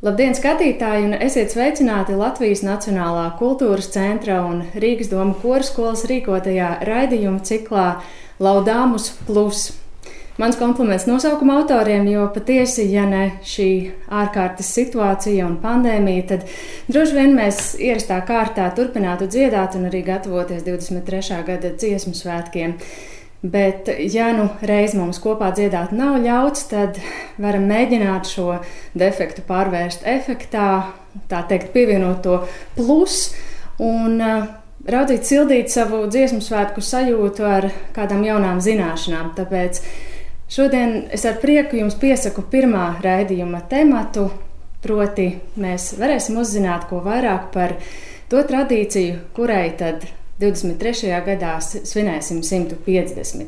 Labdien, skatītāji, un esiet sveicināti Latvijas Nacionālā kultūras centra un Rīgas doma korskolas rīkotajā raidījuma ciklā Laudamus Plus. Mans kompliments nosaukuma autoriem, jo patiesi, ja ne šī ārkārtas situācija un pandēmija, tad droši vien mēs ierastā kārtā turpinātu dziedāt un arī gatavoties 23. gada dziesmu svētkiem. Bet, ja nu reiz mums kopā dziedāt nav ļauts, tad varam mēģināt šo defektu pārvērst efektā, tā teikt, pievienot to plus un raudzīt sildīt savu dziesmu svētku sajūtu ar kādām jaunām zināšanām. Tāpēc šodien es ar prieku jums piesaku pirmā raidījuma tematu, proti mēs varēsim uzzināt ko vairāk par to tradīciju, kurai tad 23. gadā svinēsim 150.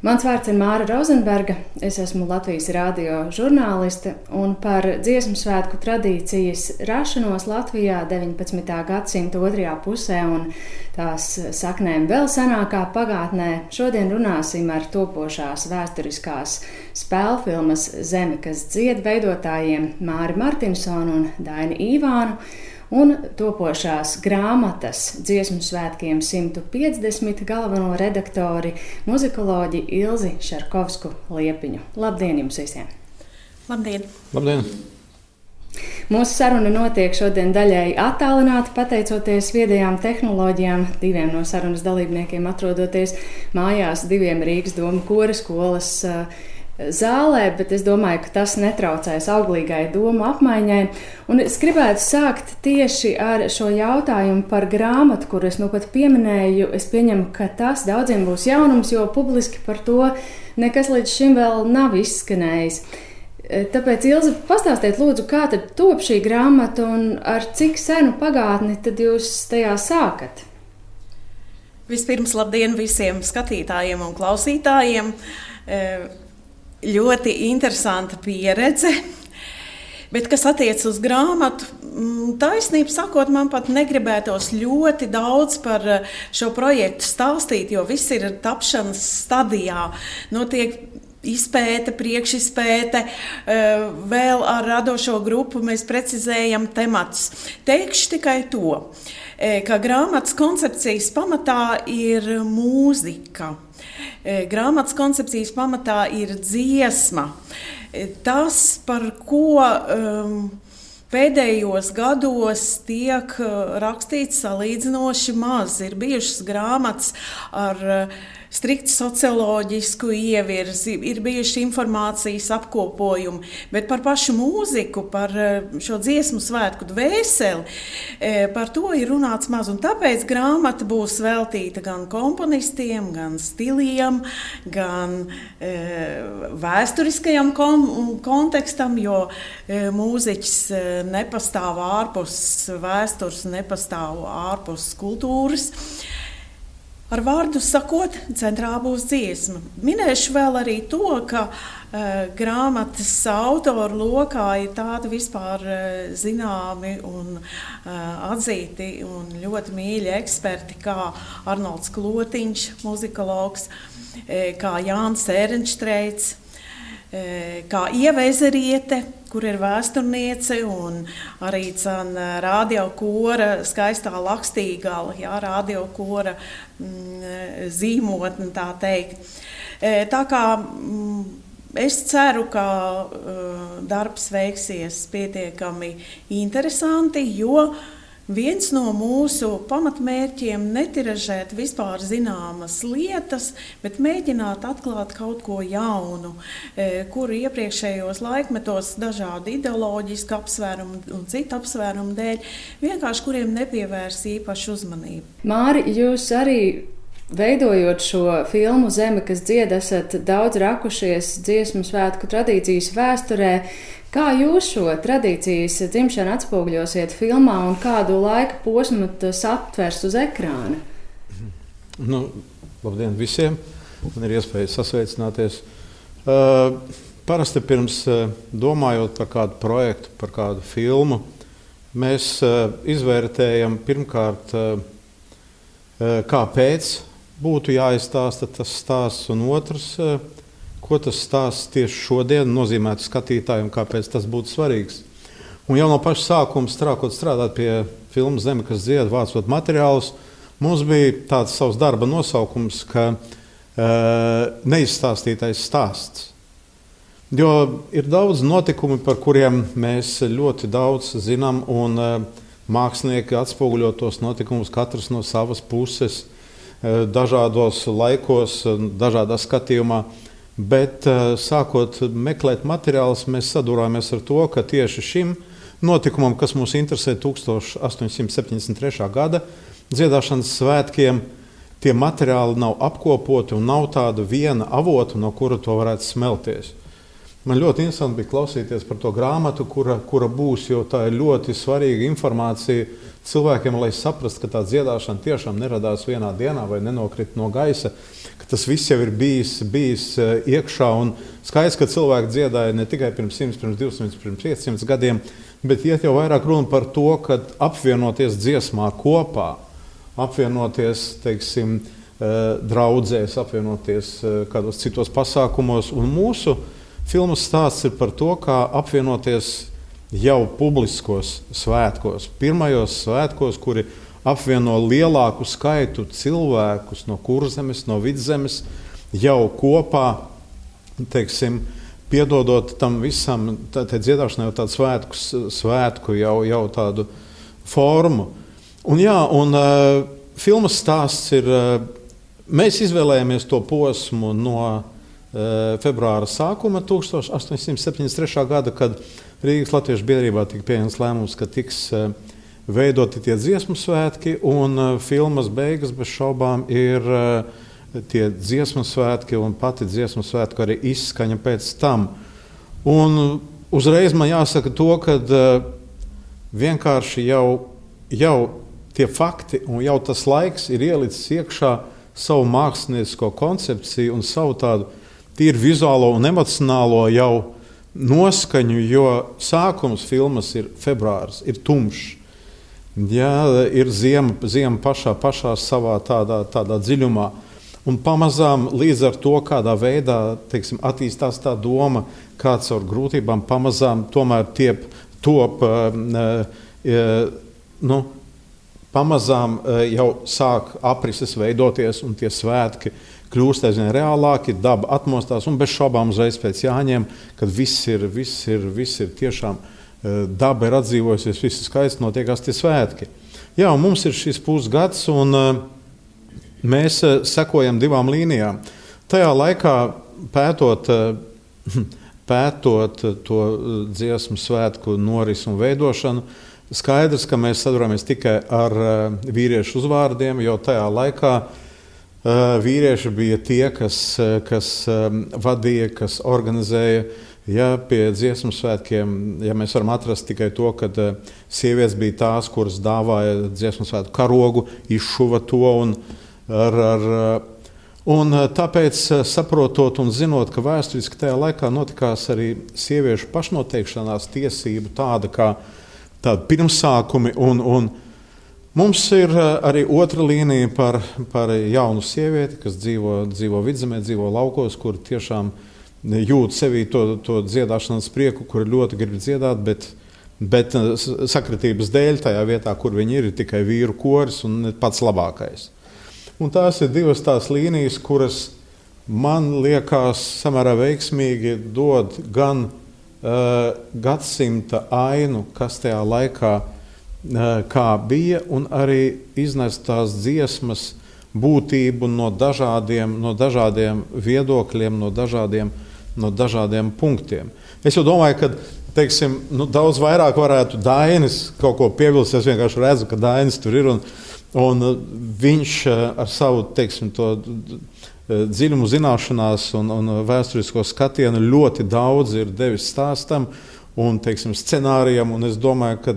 Mans vārds ir Māra Rozenberga, es esmu Latvijas radio žurnāliste, un par dziesmu svētku tradīcijas rašanos Latvijā 19. gadsimta otrajā pusē un tās saknēm vēl senākā pagātnē šodien runāsim ar topošās vēsturiskās spēlfilmas Zeme, kas dzied veidotājiem Māri Martinsonu un Daini Īvānu, un topošās grāmatas dziesmu svētkiem 150 galveno redaktori muzikoloģi Ilzi Šarkovsku Liepiņu. Labdien jums visiem! Labdien! Labdien! Mūsu saruna notiek šodien daļēji attālināti, pateicoties viedajām tehnoloģijām. Diviem no sarunas dalībniekiem atrodoties mājās, diviem Rīgas doma korskolas zālē, bet es domāju, ka tas netraucēs auglīgai domu apmaiņai. Un es gribētu sākt tieši ar šo jautājumu par grāmatu, kuru es nu pat pieminēju. Es pieņemu, ka tas daudziem būs jaunums, jo publiski par to nekas līdz šim vēl nav izskanējis. Tāpēc, Ilze, pastāstiet lūdzu, kā tad top šī grāmata un ar cik senu pagātni tad jūs tajā sākat? Vispirms labdien visiem skatītājiem un klausītājiem. Ļoti interesanta pieredze, bet kas attiec uz grāmatu, taisnību sakot, man pat negribētos ļoti daudz par šo projektu stāstīt, jo viss ir tapšanas stadijā. Notiek izpēte, priekšizpēte, vēl ar radošo grupu mēs precizējam tematus. Teikšu tikai to, ka grāmatas koncepcijas pamatā ir mūzika. Grāmatas koncepcijas pamatā ir dziesma. Tas, par ko pēdējos gados tiek rakstīts salīdzinoši maz, ir bijušas grāmatas ar strikti socioloģisku ievirzi, ir bijuši informācijas apkopojumi, bet par pašu mūziku, par šo dziesmu svētku dvēseli, par to ir runāts maz. Un tāpēc grāmata būs veltīta gan komponistiem, gan stiliem, gan vēsturiskajam kontekstam, jo mūziķis nepastāv ārpus vēstures, nepastāv ārpus kultūras. Ar vārdu sakot, centrā būs dziesma. Minēšu vēl arī to, ka grāmatas autoru lokā ir tādi vispār zināmi un atzīti un ļoti mīļi eksperti, kā Arnolds Klotiņš, muzikologs, kā Jānis Ērenštreits, kā Ieva Ezeriete, kur ir vēsturniece, un arī radio kora skaistā Lakstīgala, radio kora zīmotne, tā teikt. Tā kā es ceru, ka darbs veiksies pietiekami interesanti, jo viens no mūsu pamatmērķiem netiražēt vispār zināmas lietas, bet mēģināt atklāt kaut ko jaunu, kuru iepriekšējos laikmetos dažādu ideoloģisku apsvērumu un citu apsvērumu dēļ, vienkārši kuriem nepievērs īpašu uzmanību. Māri, jūs arī veidojot šo filmu Zeme, kas dzied, esat daudz rakušies dziesmu svētku tradīcijas vēsturē. Kā jūs šo tradīcijas dzimšanu atspoguļosiet filmā un kādu laika posmu tas aptvers uz ekrāna? Labdien visiem! Man ir iespēja sasveicināties. Parasti pirms domājot par kādu projektu, par kādu filmu, mēs izvērtējam pirmkārt, kāpēc būtu jāizstāsta tas stāsts, un otrs, ko tas stāsts tieši šodien nozīmētu skatītājiem, kāpēc tas būtu svarīgs. Un jau no paša sākuma strādāt pie filmas Zeme, kas dzied, vācot materiālus, mums bija tāds savs darba nosaukums, ka neizstāstītais stāsts. Jo ir daudz notikumu, par kuriem mēs ļoti daudz zinām, un mākslinieki atspoguļo tos notikumus katrs no savas puses, dažādos laikos, dažādā skatījumā. Bet sākot meklēt materiālus, mēs sadūrāmies ar to, ka tieši šim notikumam, kas mūs interesē 1873. Gada dziedāšanas svētkiem, tie materiāli nav apkopoti un nav tāda viena avota, no kura to varētu smelties. Man ļoti interesanti bija klausīties par to grāmatu, kura būs, jo tā ir ļoti svarīga informācija cilvēkiem, lai saprastu, ka tā dziedāšana tiešām neradās vienā dienā vai nenokrita no gaisa, ka tas viss jau ir bijis iekšā. Un skaidrs, ka cilvēki dziedāja ne tikai pirms 100, pirms 200, pirms 500 gadiem, bet iet jau vairāk runa par to, ka apvienoties dziesmā kopā, apvienoties, teiksim, draudzēs, apvienoties kādos citos pasākumos. Un mūsu filmas stāsts ir par to, kā apvienoties jau publiskos svētkos, pirmajos svētkos, kuri apvieno lielāku skaitu cilvēkus no Kurzemes, no Vidzemes, jau kopā, teiksim, piedodot tam visam, tā dziedāšanai jau tādu svētku jau tādu formu. Un filmas stāsts ir, mēs izvēlējāmies to posmu no februāra sākuma 1873. Gada, kad Rīgas Latviešu biedrībā tika pieņemts lēmums, ka tiks veidoti tie dziesmu svētki, un filmas beigas bez šaubām ir tie dziesmu svētki un pati dziesmu svētku arī izskaņa pēc tam. Un uzreiz man jāsaka to, ka vienkārši jau tie fakti un jau tas laiks ir ielicis iekšā savu māksliniecisko koncepciju un savu tādu tīri vizuālo un emocionālo jau noskaņu, jo sākums filmas ir februārs, ir tumšs. Jā, ir ziema pašā savā tādā dziļumā. Un pamazām līdz ar to, kādā veidā, teiksim, attīstās tā doma, kā caur grūtībām pamazām tomēr pamazām jau sāk aprises veidoties un tie svētki kļūst aizvien reālāki, daba atmostās un bez šaubām uzreiz pēc Jāņiem, kad viss ir tiešām daba ir atdzīvojusies, viss ir skaisti, notiekās tie svētki. Jā, un mums ir šis pusgads, un mēs sekojam divām līnijām. Tajā laikā pētot to dziesmu svētku norisi un veidošanu, skaidrs, ka mēs sadurāmies tikai ar vīriešu uzvārdiem, jo tajā laikā vīrieši bija tie, kas vadīja, kas organizēja. Ja pie dziesmu svētkiem, ja mēs varam atrast tikai to, ka sievietes bija tās, kuras dāvāja dziesmu svētku karogu, izšuva to un tāpēc saprotot un zinot, ka vēsturiski tajā laikā notikās arī sieviešu pašnoteikšanās tiesību tāda pirmsākumi un mums ir arī otra līnija par jaunu sievieti, kas dzīvo Vidzemē, dzīvo laukos, kur tiešām jūt sevī to dziedāšanas prieku, kur ļoti grib dziedāt, bet sakritības dēļ tajā vietā, kur viņi ir tikai vīru koris un pats labākais. Un tās ir divas tās līnijas, kuras man liekas samērā veiksmīgi dod gan gadsimta ainu, kas tajā laikā kā bija, un arī iznest tās dziesmas būtību no dažādiem viedokļiem, no dažādiem punktiem. Es jau domāju, ka teiksim, daudz vairāk varētu Dainis kaut ko piebilst. Es vienkārši redzu, ka Dainis tur ir, un viņš ar savu teiksim, to dziļumu zināšanās un vēsturisko skatienu ļoti daudz ir devis stāstam un teiksim, scenārijam, un es domāju, ka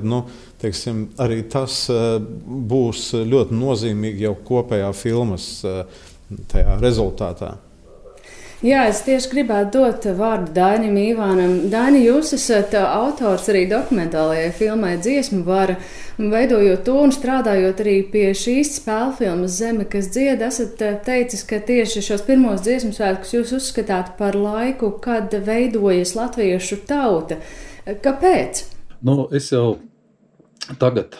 teiksim, arī tas būs ļoti nozīmīgi jau kopējā filmas tajā rezultātā. Jā, es tieši gribētu dot vārdu Dainim Ivānam. Daini, jūs esat autors arī dokumentālajai filmai Dziesmu vara, veidojot to un strādājot arī pie šīs spēlfilmas Zeme, kas dzied, esat teicis, ka tieši šos pirmos dziesmu svētkus jūs uzskatāt par laiku, kad veidojas latviešu tauta. Kāpēc? Es jau tagad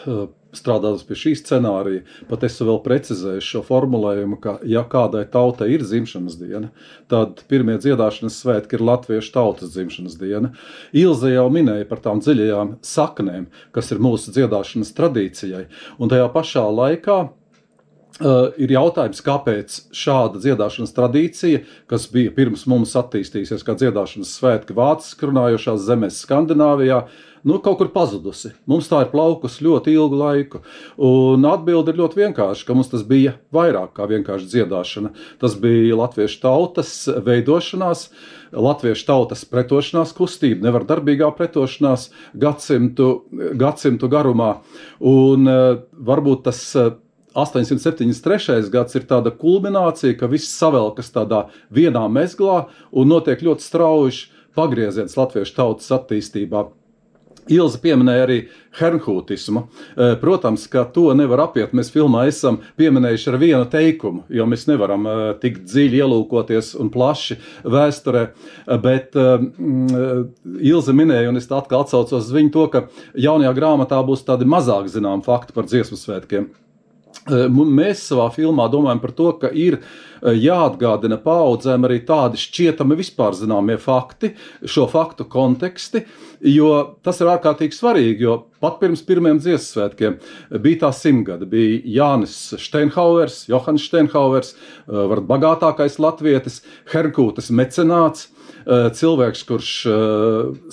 strādājot pie šī scenārija, pat es vēl precizēju šo formulējumu, ka, ja kādai tautai ir dzimšanas diena, tad pirmie dziedāšanas svētki ir latviešu tautas dzimšanas diena. Ilze jau minēja par tām dziļajām saknēm, kas ir mūsu dziedāšanas tradīcijai, un tajā pašā laikā ir jautājums, kāpēc šāda dziedāšanas tradīcija, kas bija pirms mums attīstījusies kā dziedāšanas svētki vāciski runājošās zemēs Skandināvijā, kaut kur pazudusi. Mums tā ir plaukusi ļoti ilgu laiku. Un atbilde ir ļoti vienkārši, ka mums tas bija vairāk kā vienkārši dziedāšana. Tas bija latviešu tautas veidošanās, latviešu tautas pretošanās kustība, nevardarbīgā pretošanās gadsimtu garumā. Un varbūt tas 873. gads ir tāda kulminācija, ka viss savelkas tādā vienā mezglā un notiek ļoti strauji pagrieziens latviešu tautas attīstībā. Ilze pieminēja arī hernhūtismu. Protams, ka to nevar apiet. Mēs filmā esam pieminējuši ar vienu teikumu, jo mēs nevaram tik dziļi ielūkoties un plaši vēsturē, bet Ilze minēja, un es atkal atsaucos uz viņu to, ka jaunajā grāmatā būs tādi mazāk zinām fakti par dziesmu svētkiem. Mēs savā filmā domājam par to, ka ir jāatgādina paaudzēm arī tādi šķietami vispār zināmie fakti, šo faktu konteksti, jo tas ir ārkārtīgi svarīgi, jo pat pirms pirmiem dziesmu svētkiem bija tā 100 gadi, bija Jānis Steinhauers, Johans Steinhauers, varbūt bagātākais latvietis, Hernhūtes mecenāts, cilvēks, kurš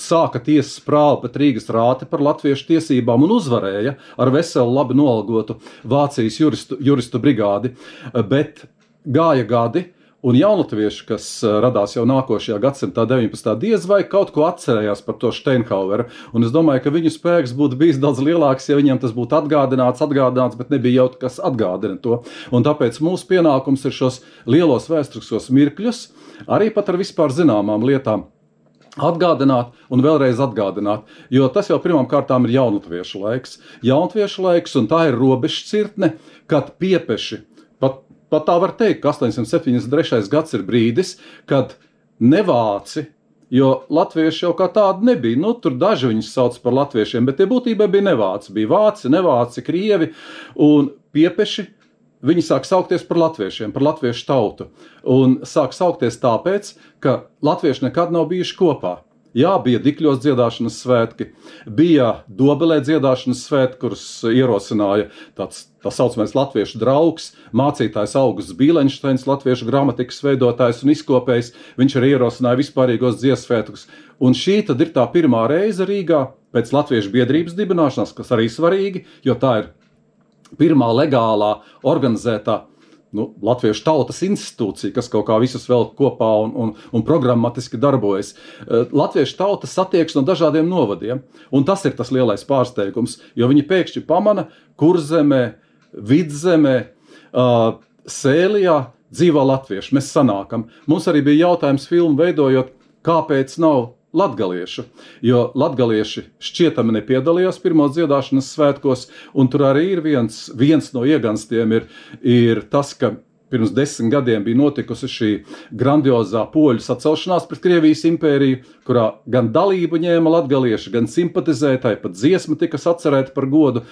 sāka tiesas prāvu pret Rīgas rāti par latviešu tiesībām un uzvarēja ar veselu labi noalgotu Vācijas juristu brigādi, bet gāja gadi, un jaunatvieši, kas radās jau nākošajā gadsimtā 19. diez vai kaut ko atcerējās par to Steinhaueru, un es domāju, ka viņu spēks būtu bijis daudz lielāks, ja viņiem tas būtu atgādināts, bet nebija jau kas atgādina to. Un tāpēc mūsu pienākums ir šos lielos vēsturiskos mirkļus, arī pat ar vispār zināmām lietām, atgādināt un vēlreiz atgādināt, jo tas jau pirmām kārtām ir jaunatviešu laiks, un tā ir robežšķirtne, kad piepeši, pat tā var teikt, ka 873. gads ir brīdis, kad nevāci, jo latvieši jau kā tādi nebija, tur daži viņus sauc par latviešiem, bet tie būtībā bija nevāci, bija vāci, nevāci, krievi, un piepeši viņi sāk saukties par latviešiem, par latviešu tautu. Un sāk saukties tāpēc, ka latvieši nekad nav bijuši kopā. Jā, bija Dikļos dziedāšanas svētki, bija Dobelē dziedāšanas svētki, kurus ierosināja tā saucamais latviešu draugs, mācītājs Augusts Bīlenšteins, latviešu gramatikas veidotājs un izkopējs. Viņš arī ierosināja vispārīgos dziesmu svētkus. Un šī tad ir tā pirmā reize Rīgā pēc latviešu biedrības dibināšanas, kas arī svarīgi, jo tā ir pirmā legālā organizētā latviešu tautas institūcija, kas kaut kā visus vēl kopā un programmatiski darbojas. Latviešu tauta satiekas no dažādiem novadiem, un tas ir tas lielais pārsteigums, jo viņi pēkšņi pamana Kurzemē, Vidzemē, Sēlijā dzīvo latvieši. Mēs sanākam. Mums arī bija jautājums filmu veidojot, kāpēc nav latgaliešu, jo latgalieši šķietami nepiedalījās pirmos dziedāšanas svētkos, un tur arī ir viens no ieganstiem ir tas, ka pirms 10 gadiem bija notikusi šī grandiozā poļu sacelšanās pret Krievijas impēriju, kurā gan dalību ņēma latgalieši, gan simpatizētāji, pat dziesma tika sacerēta par godu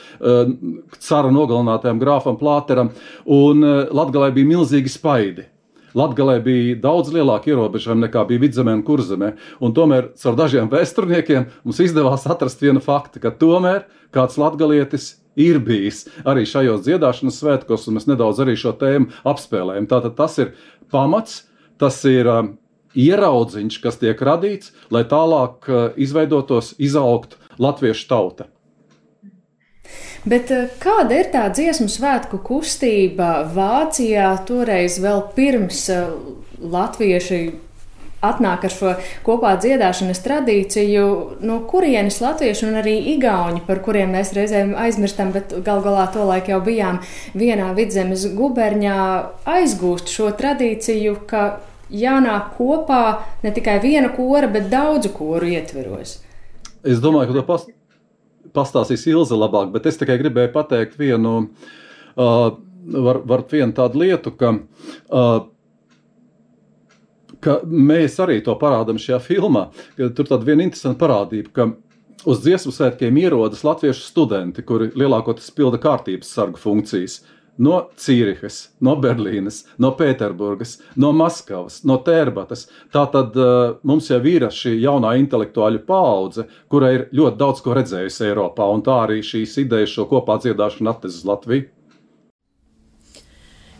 cara nogalinātajam grāfam Plāteram, un Latgalē bija milzīgi spaidi. Latgalē bija daudz lielāki ierobežojumi nekā bija Vidzemē un Kurzemē, un tomēr caur dažiem vēsturniekiem mums izdevās atrast vienu faktu, ka tomēr kāds latgalietis ir bijis arī šajos dziedāšanas svētkos, un mēs nedaudz arī šo tēmu apspēlējam. Tātad tas ir pamats, tas ir ieraudziņš, kas tiek radīts, lai tālāk izveidotos, izaugtu latviešu tauta. Bet kāda ir tā dziesmu svētku kustība Vācijā toreiz vēl pirms latvieši atnāk ar šo kopā dziedāšanas tradīciju, no kurienes latvieši un arī igauņi, par kuriem mēs reizēm aizmirstam, bet gal galā tolaik jau bijām vienā Vidzemes guberņā, aizgūst šo tradīciju, ka jānāk kopā ne tikai viena kora, bet daudzu koru ietveros? Es domāju, ka to pastāstīs Ilze labāk, bet es tikai gribēju pateikt vienu tādu lietu, ka mēs arī to parādam šajā filmā. Tur tāda viena interesanta parādība, ka uz dziesmu svētkiem ierodas latviešu studenti, kuri lielākoties pilda kārtības sargu funkcijas. No Cīrihas, no Berlīnes, no Pēterburgas, no Maskavas, no Tērbatas. Tātad mums jau ir šī jaunā intelektuāļu paudze, kura ir ļoti daudz ko redzējusi Eiropā, un tā arī šīs idejas šo kopā dziedāšanu atnes uz Latviju.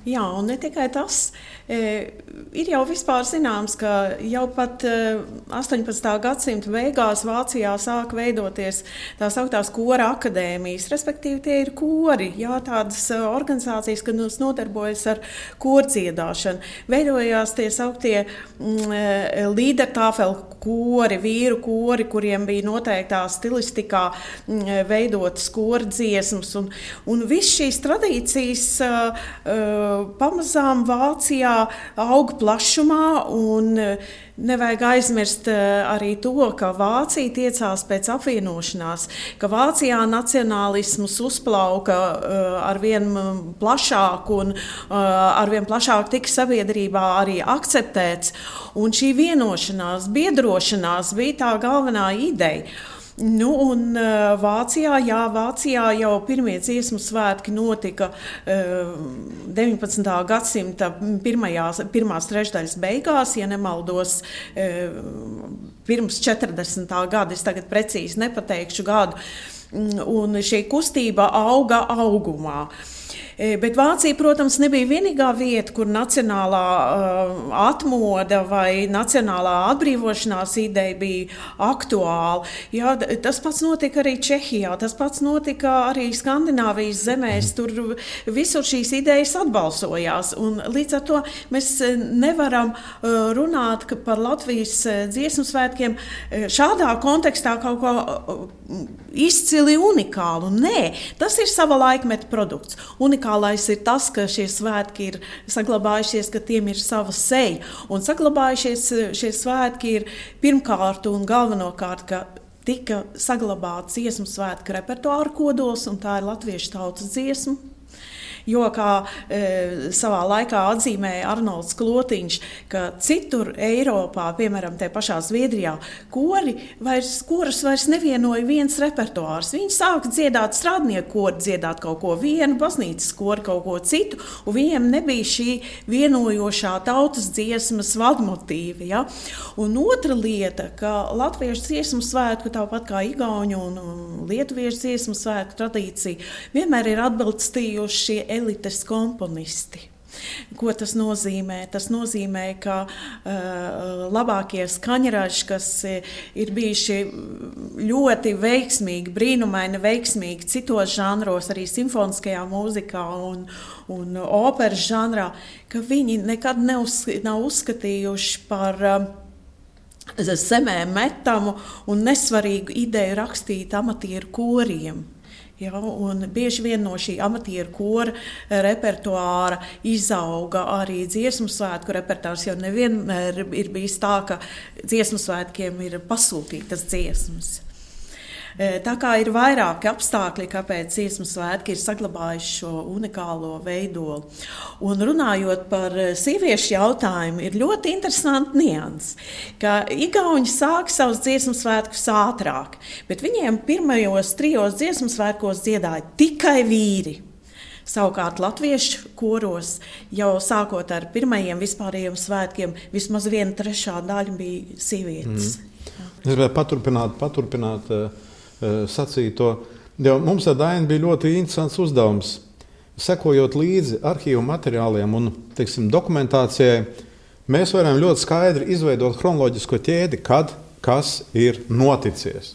Jā, un ne tikai tas, ir jau vispār zināms, ka jau pat 18. gadsimta beigās Vācijā sāk veidoties tā sauktās kora akadēmijas, respektīvi tie ir kori, jā, tādas organizācijas, kas nodarbojas ar kordziedāšanu. Veidojās tie sauktie Liedertāfel kori, vīru kori, kuriem bija noteiktā stilistikā veidotas kordziesmas, un viss šīs tradīcijas pamazām Vācijā aug plašumā, un nevajag aizmirst arī to, ka Vācija tiecās pēc apvienošanās, ka Vācijā nacionālisms uzplauka arvien plašāk un arvien plašāk tika sabiedrībā arī akceptēts, un šī vienošanās, biedrošanās bija tā galvenā ideja. Nu, un Vācijā jau pirmie dziesmu svētki notika 19. gadsimta pirmās trešdaļas beigās, ja nemaldos, pirms 40. gada, es tagad precīzi nepateikšu gadu, un šī kustība auga augumā. Bet Vācija, protams, nebija vienīgā vieta, kur nacionālā atmoda vai nacionālā atbrīvošanās ideja bija aktuāla. Jā, tas pats notika arī Čehijā, tas pats notika arī Skandināvijas zemēs. Tur visur šīs idejas atbalsojās. Un līdz ar to mēs nevaram runāt par Latvijas dziesmu svētkiem šādā kontekstā kaut ko izcili unikālu. Nē, tas ir sava laikmeta produkts. Unikālais ir tas, ka šie svētki ir saglabājušies, ka tiem ir sava seja. Un saglabājušies šie svētki ir pirmkārt un galvenokārt, ka tika saglabāts dziesmu svētku repertuāra kodols, un tā ir latviešu tautas dziesma. Jo, kā savā laikā atzīmēja Arnolds Klotiņš, ka citur Eiropā, piemēram, te pašā Zviedrijā, korus vairs nevienoja viens repertuārs. Viņi sāka dziedāt strādnieku kori, dziedāt kaut ko vienu, baznīcas kori kaut ko citu, un viņiem nebija šī vienojošā tautas dziesmas vadmotīva. Ja? Un otra lieta, ka latviešu dziesmu svētku, tāpat kā igauņu un lietuviešu dziesmu svētku tradīcija, vienmēr ir atbalstījuši elites komponisti. Ko tas nozīmē? Tas nozīmē, ka labākie skaņraži, kas ir bijuši ļoti veiksmīgi, brīnumaini veiksmīgi citos žanros, arī simfoniskajā mūzikā un operas žanrā, ka viņi nekad nav uzskatījuši par zemē metamu un nesvarīgu ideju rakstīt amatieru koriem. Ja, un bieži vien no šī amatieru kora repertuāra izauga arī dziesmu svētku repertuārs, jo nevienmēr ir bijis tā, ka dziesmu svētkiem ir pasūtītas dziesmas. Tā kā ir vairāki apstākļi, kāpēc dziesmu svētki ir saglabājuši šo unikālo veidolu. Un runājot par sieviešu jautājumu, ir ļoti interesanti nianses, ka igauņi sāk savus dziesmu svētkus ātrāk, bet viņiem pirmajos 3 dziesmu svētkos dziedāja tikai vīri. Savukārt latviešu koros jau sākot ar pirmajiem vispārējiem svētkiem vismaz 1/3 daļa bija sievietes. Es gribēju paturpināt sacīto. Mums ar Dainu bija ļoti interesants uzdevums. Sekojot līdzi arhīvu materiāliem un, dokumentācijai, mēs varam ļoti skaidri izveidot chronoloģisko ķēdi, kad kas ir noticies.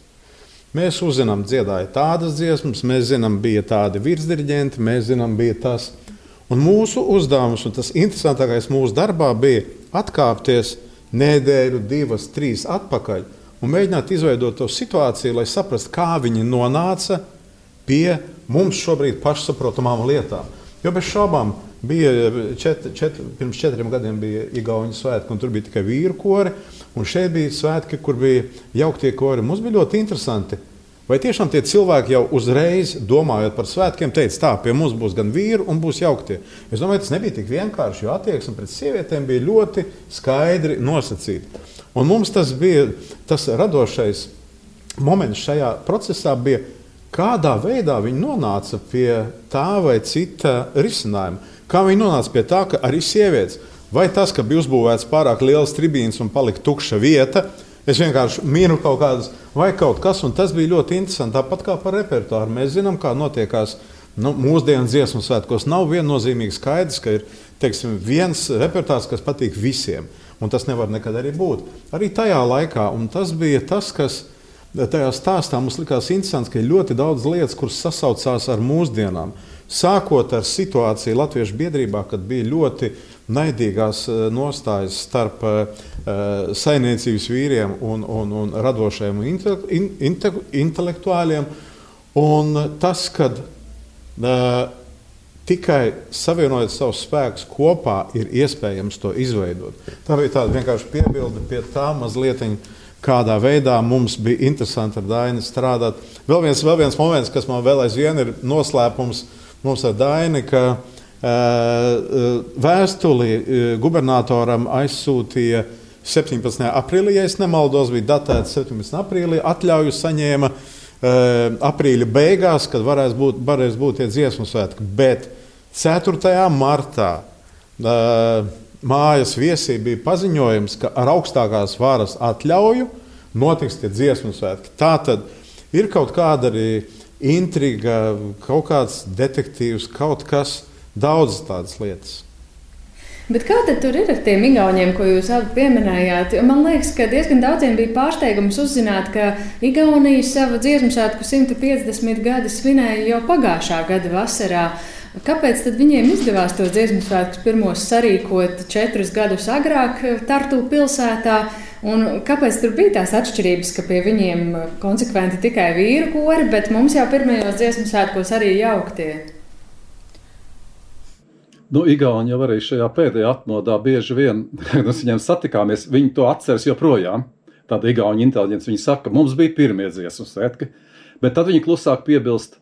Mēs uzzinām, dziedāja tādas dziesmas, mēs zinām, bija tādi virsdiriģenti, mēs zinām, bija tas. Un mūsu uzdevums, un tas interesantākais mūsu darbā bija atkāpties nedēļu, 2, 3 atpakaļ un mēģināt izveidot to situāciju, lai saprastu, kā viņi nonāca pie mums šobrīd pašsaprotamām lietām. Jo bez šaubām bija pirms 4 gadiem bija igauņu svētki, un tur bija tikai vīru kori, un šeit bija svētki, kur bija jauktie kori. Mums bija ļoti interesanti. Vai tiešām tie cilvēki jau uzreiz, domājot par svētkiem, teica, tā, pie mums būs gan vīru un būs jauktie. Es domāju, tas nebija tik vienkārši, jo attieksme pret sievietēm bija ļoti skaidri nosacīta. Un mums tas bija tas radošais moments šajā procesā bija, kādā veidā viņi nonāca pie tā vai cita risinājuma. Kā viņi nonāca pie tā, ka arī sievietes, vai tas, ka bija uzbūvēts pārāk liels tribīns un palika tukša vieta, es vienkārši minu kaut kādas, vai kaut kas, un tas bija ļoti interesanti. Tāpat kā par repertuāru. Mēs zinām, kā notiekās mūsdienu dziesmu svētkos. Nav viennozīmīgi skaidrs, ka ir, teiksim, viens repertuārs, kas patīk visiem, un tas nevar nekad arī būt. Arī tajā laikā, un tas bija tas, kas tajā stāstā mums likās interesants, ka ir ļoti daudz lietas, kuras sasaucās ar mūsdienām. Sākot ar situāciju Latviešu biedrībā, kad bija ļoti naidīgās nostājas starp saimniecības vīriem un radošajiem intelektuāļiem. Un tas, kad tikai savienojot savus spēkus kopā, ir iespējams to izveidot. Tā bija tāda vienkārši piebilde pie tā mazlietiņa, kādā veidā mums bija interesanti ar Daini strādāt. Vēl viens moments, kas man vēl aizvien ir noslēpums mums ar Daini, ka vēstuli gubernatoram aizsūtīja 17. aprīlī, ja es nemaldos, bija datēts 17. aprīlī, atļauju saņēma aprīļa beigās, kad varēs būt tie dziesmu svētki. Bet 4. martā mājas viesī bija paziņojums, ka ar augstākās varas atļauju notiks tie dziesmu svētki. Tātad ir kaut kāda arī intriga, kaut kāds detektīvs, kaut kas, daudzas tādas lietas. Bet kā tad tur ir ar tiem igauņiem, ko jūs abi pieminējāt? Man liekas, ka diezgan daudziem bija pārsteigums uzzināt, ka Igaunija savu dziesmu svētku 150 gadi svinēja jau pagājušā gada vasarā. Kāpēc tad viņiem izdevās tos dziesmu svētkus pirmos sarīkot 4 gadus agrāk Tartu pilsētā? Un kāpēc tur bija tās atšķirības, ka pie viņiem konsekventi tikai vīru kori, bet mums jau pirmajos dziesmu svētkos arī jauktie? Igauni jau arī šajā pēdējā atmodā bieži vien, kad mēs viņiem satikāmies, viņi to atceras joprojām. Tāda igauņu inteliģence, viņi saka, mums bija pirmie dziesmu svētki, bet tad viņi klusāk piebilst,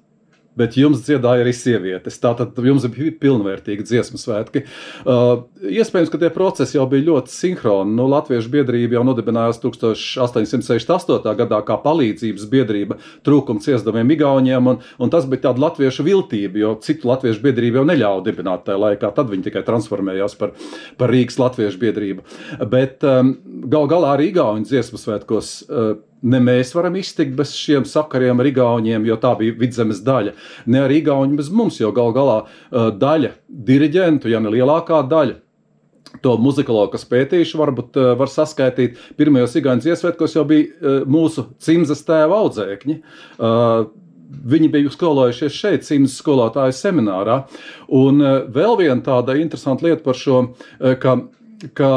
bet jums dziedāja arī sievietes. Tātad jums bija pilnvērtīgi dziesmu svētki. Iespējams, ka tie procesi jau bija ļoti sinhroni. Latviešu biedrība jau nodibinājās 1868. gadā kā palīdzības biedrība trūkuma ciesdamiem igauņiem, un tas bija tāda latviešu viltība, jo citu latviešu biedrību jau neļauj dibināt tajā laikā. Tad viņi tikai transformējās par Rīgas latviešu biedrību. Bet galā arī igauņu dziesmu svētkos ne mēs varam iztikt bez šiem sakariem ar igauņiem, jo tā bija Vidzemes daļa. Ne ar igauņu bez mums, jo galā daļa diriģentu, ja ne lielākā daļa, to muzikologu, kas pētījuši, varbūt var saskaitīt. Pirmajos igauņu dziesmu svētkos jau bija mūsu Cimzas tēva audzēkņi. Viņi bija skolojušies šeit, Cimzas skolotāju seminārā. Un vēl viena tāda interesanta lieta par šo, ka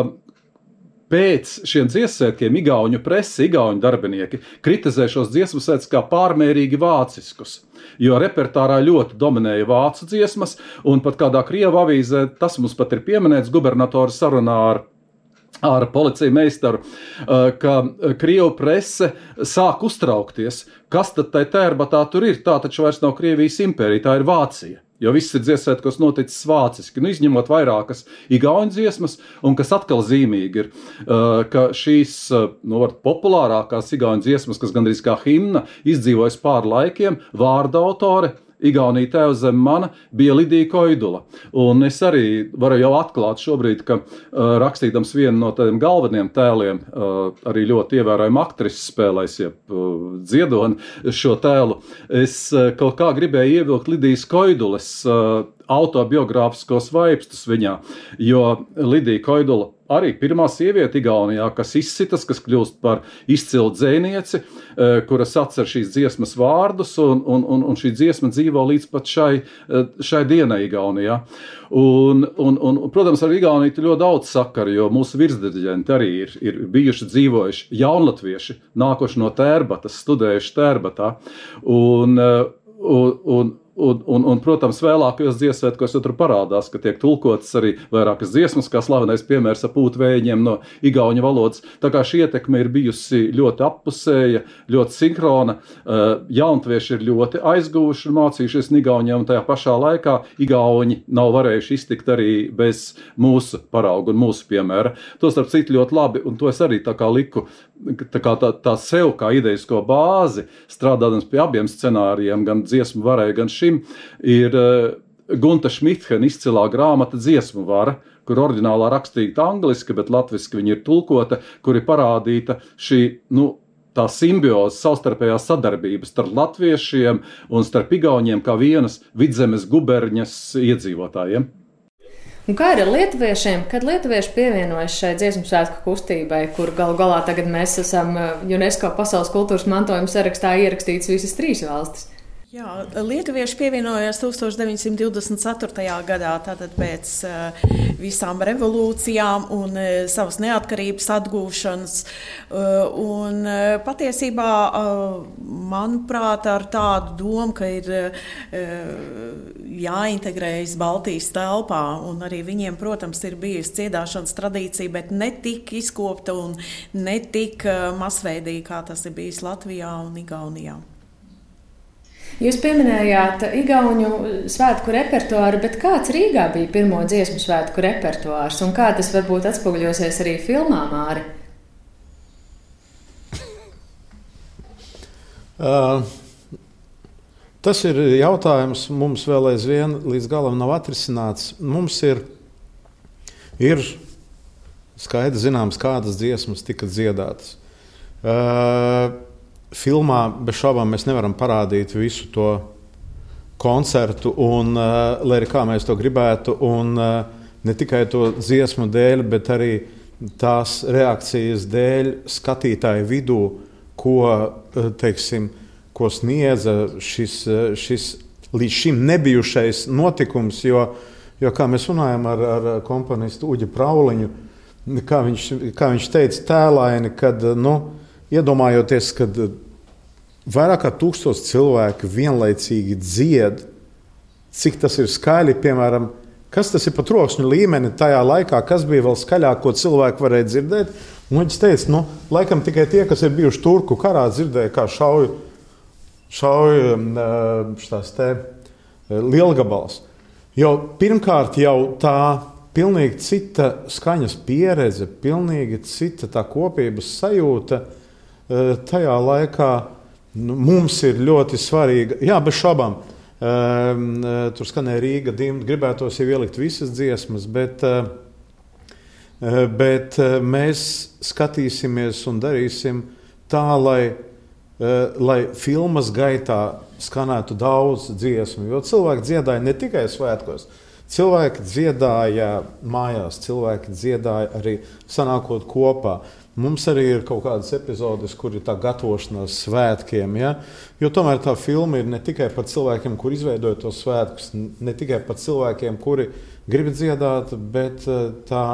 pēc šiem dziesmu svētkiem igauņu presi, igauņu darbinieki kritizē šos dziesmu svētkus kā pārmērīgi vāciskus, jo repertārā ļoti dominēja vācu dziesmas, un pat kādā Krievu avīzē, tas mums pat ir pieminēts gubernatora sarunā ar policiju meistaru, ka Krievu prese sāk uztraukties, kas tad tai Tērbatā tur ir, tā taču vairs nav Krievijas impērija, tā ir Vācija. Jo viss ir dziesmu svētkos noticis vāciski, izņemot vairākas igauņu dziesmas, un kas atkal zīmīgi ir, ka šīs populārākās igauņu dziesmas, kas gandrīz kā himna, izdzīvojas pāri laikiem, vārda autore, Igaunija tēva zem mana, bija Lidija Koidula. Un es arī varu jau atklāt šobrīd, ka rakstīdams vienu no tādiem galveniem tēliem, arī ļoti ievērojama aktrisi spēlēs, dziedoni šo tēlu, es kaut kā gribēju ievilkt Lidijas Koidulas autobiogrāfiskos vaipstus viņā, jo Lidija Koidula arī pirmā sieviete Igaunijā, kas izsitas, kas kļūst par izcilu dzejnieci, kuras atcer šīs dziesmas vārdus, un šī dziesma dzīvo līdz pat šai dienai Igaunijā. Un, protams, ar Igauniju ir ļoti daudz sakaru, jo mūsu virsdirigenti arī ir bijuši dzīvojuši jaunatvieši, nākoši no Tērbatas, studējuši Tērbatā. Un, protams, vēlākajos dziesmu svētkos tur parādās, ka tiek tulkotas arī vairākas dziesmas, kā slavenais piemērs ar pūtvējiņiem no igauņu valodas. Tā kā šī ietekme ir bijusi ļoti appusēja, ļoti sinhrona, jaunatvieši ir ļoti aizguvuši un mācījušies igauņiem, un tajā pašā laikā igauņi nav varējuši iztikt arī bez mūsu parauga un mūsu piemēra. To starp citu ļoti labi, un to es arī tā kā liku tā sev kā idejisko bāzi, strādādams pie abiem scenārijiem, gan dziesmu varai, gan šim, ir Gunta Šmithena izcilā grāmata Dziesmu vara, kur oriģinālā rakstīta angliski, bet latviski viņa ir tulkota, kur ir parādīta šī, tā simbioze, savstarpējā sadarbība starp latviešiem un starp igauņiem kā vienas Vidzemes guberņas iedzīvotājiem. Un kā ir ar lietuviešiem? Kad lietuvieši pievienojas šai dziesmu svētku kustībai, kur galu galā tagad mēs esam UNESCO pasaules kultūras mantojuma sarakstā ierakstīts visas 3 valstis? Jā, lietuvieši pievienojās 1924. gadā, tātad pēc visām revolūcijām un savas neatkarības atgūšanas. Un patiesībā, manuprāt, ar tādu domu, ka ir jāintegrējas Baltijas telpā, un arī viņiem, protams, ir bijusi dziedāšanas tradīcija, bet ne tik izkopta un ne tik masveidīga, kā tas ir bijis Latvijā un Igaunijā. Jūs pieminējāt igauņu svētku repertuāru, bet kāds Rīgā bija pirmo dziesmu svētku repertuārs un kā tas varbūt atspoguļosies arī filmā, Māri? Tas ir jautājums, mums vēl aizvien līdz galam nav atrisināts. Mums ir skaidri zināms, kādas dziesmas tika dziedātas. Filmā bez šaubām mēs nevaram parādīt visu to koncertu, un, lai arī kā mēs to gribētu, un ne tikai to dziesmu dēļ, bet arī tās reakcijas dēļ skatītāju vidū, ko sniedza šis līdz šim nebijušais notikums, jo kā mēs runājam ar komponistu Uģi Prauliņu, kā viņš teica tēlaini, kad, iedomājoties, kad vairāk kā 1000 cilvēki vienlaicīgi dzied, cik tas ir skaļi, piemēram, kas tas ir pa troksņu līmeni tajā laikā, kas bija vēl skaļāk, ko cilvēki varēja dzirdēt. Un viņš teica, laikam tikai tie, kas ir bijuši Turku karā, dzirdēja, kā šauj šās te lielgabals. Jo pirmkārt jau tā pilnīgi cita skaņas pieredze, pilnīgi cita tā kopības sajūta, tajā laikā mums ir ļoti svarīga. Jā, bez šaubām. Tur skanēja Rīga dimta, gribētos jau ielikt visas dziesmas, bet mēs skatīsimies un darīsim tā, lai filmas gaitā skanētu daudz dziesmu. Jo cilvēki dziedāja ne tikai svētkos, cilvēki dziedāja mājās, cilvēki dziedāja arī sanākot kopā. Mums arī ir kaut kādas epizodes, kur ir tā gatavošanās svētkiem. Ja? Jo tomēr tā filma ir ne tikai par cilvēkiem, kuri izveidoja tos svētkus, ne tikai par cilvēkiem, kuri grib dziedāt, bet tā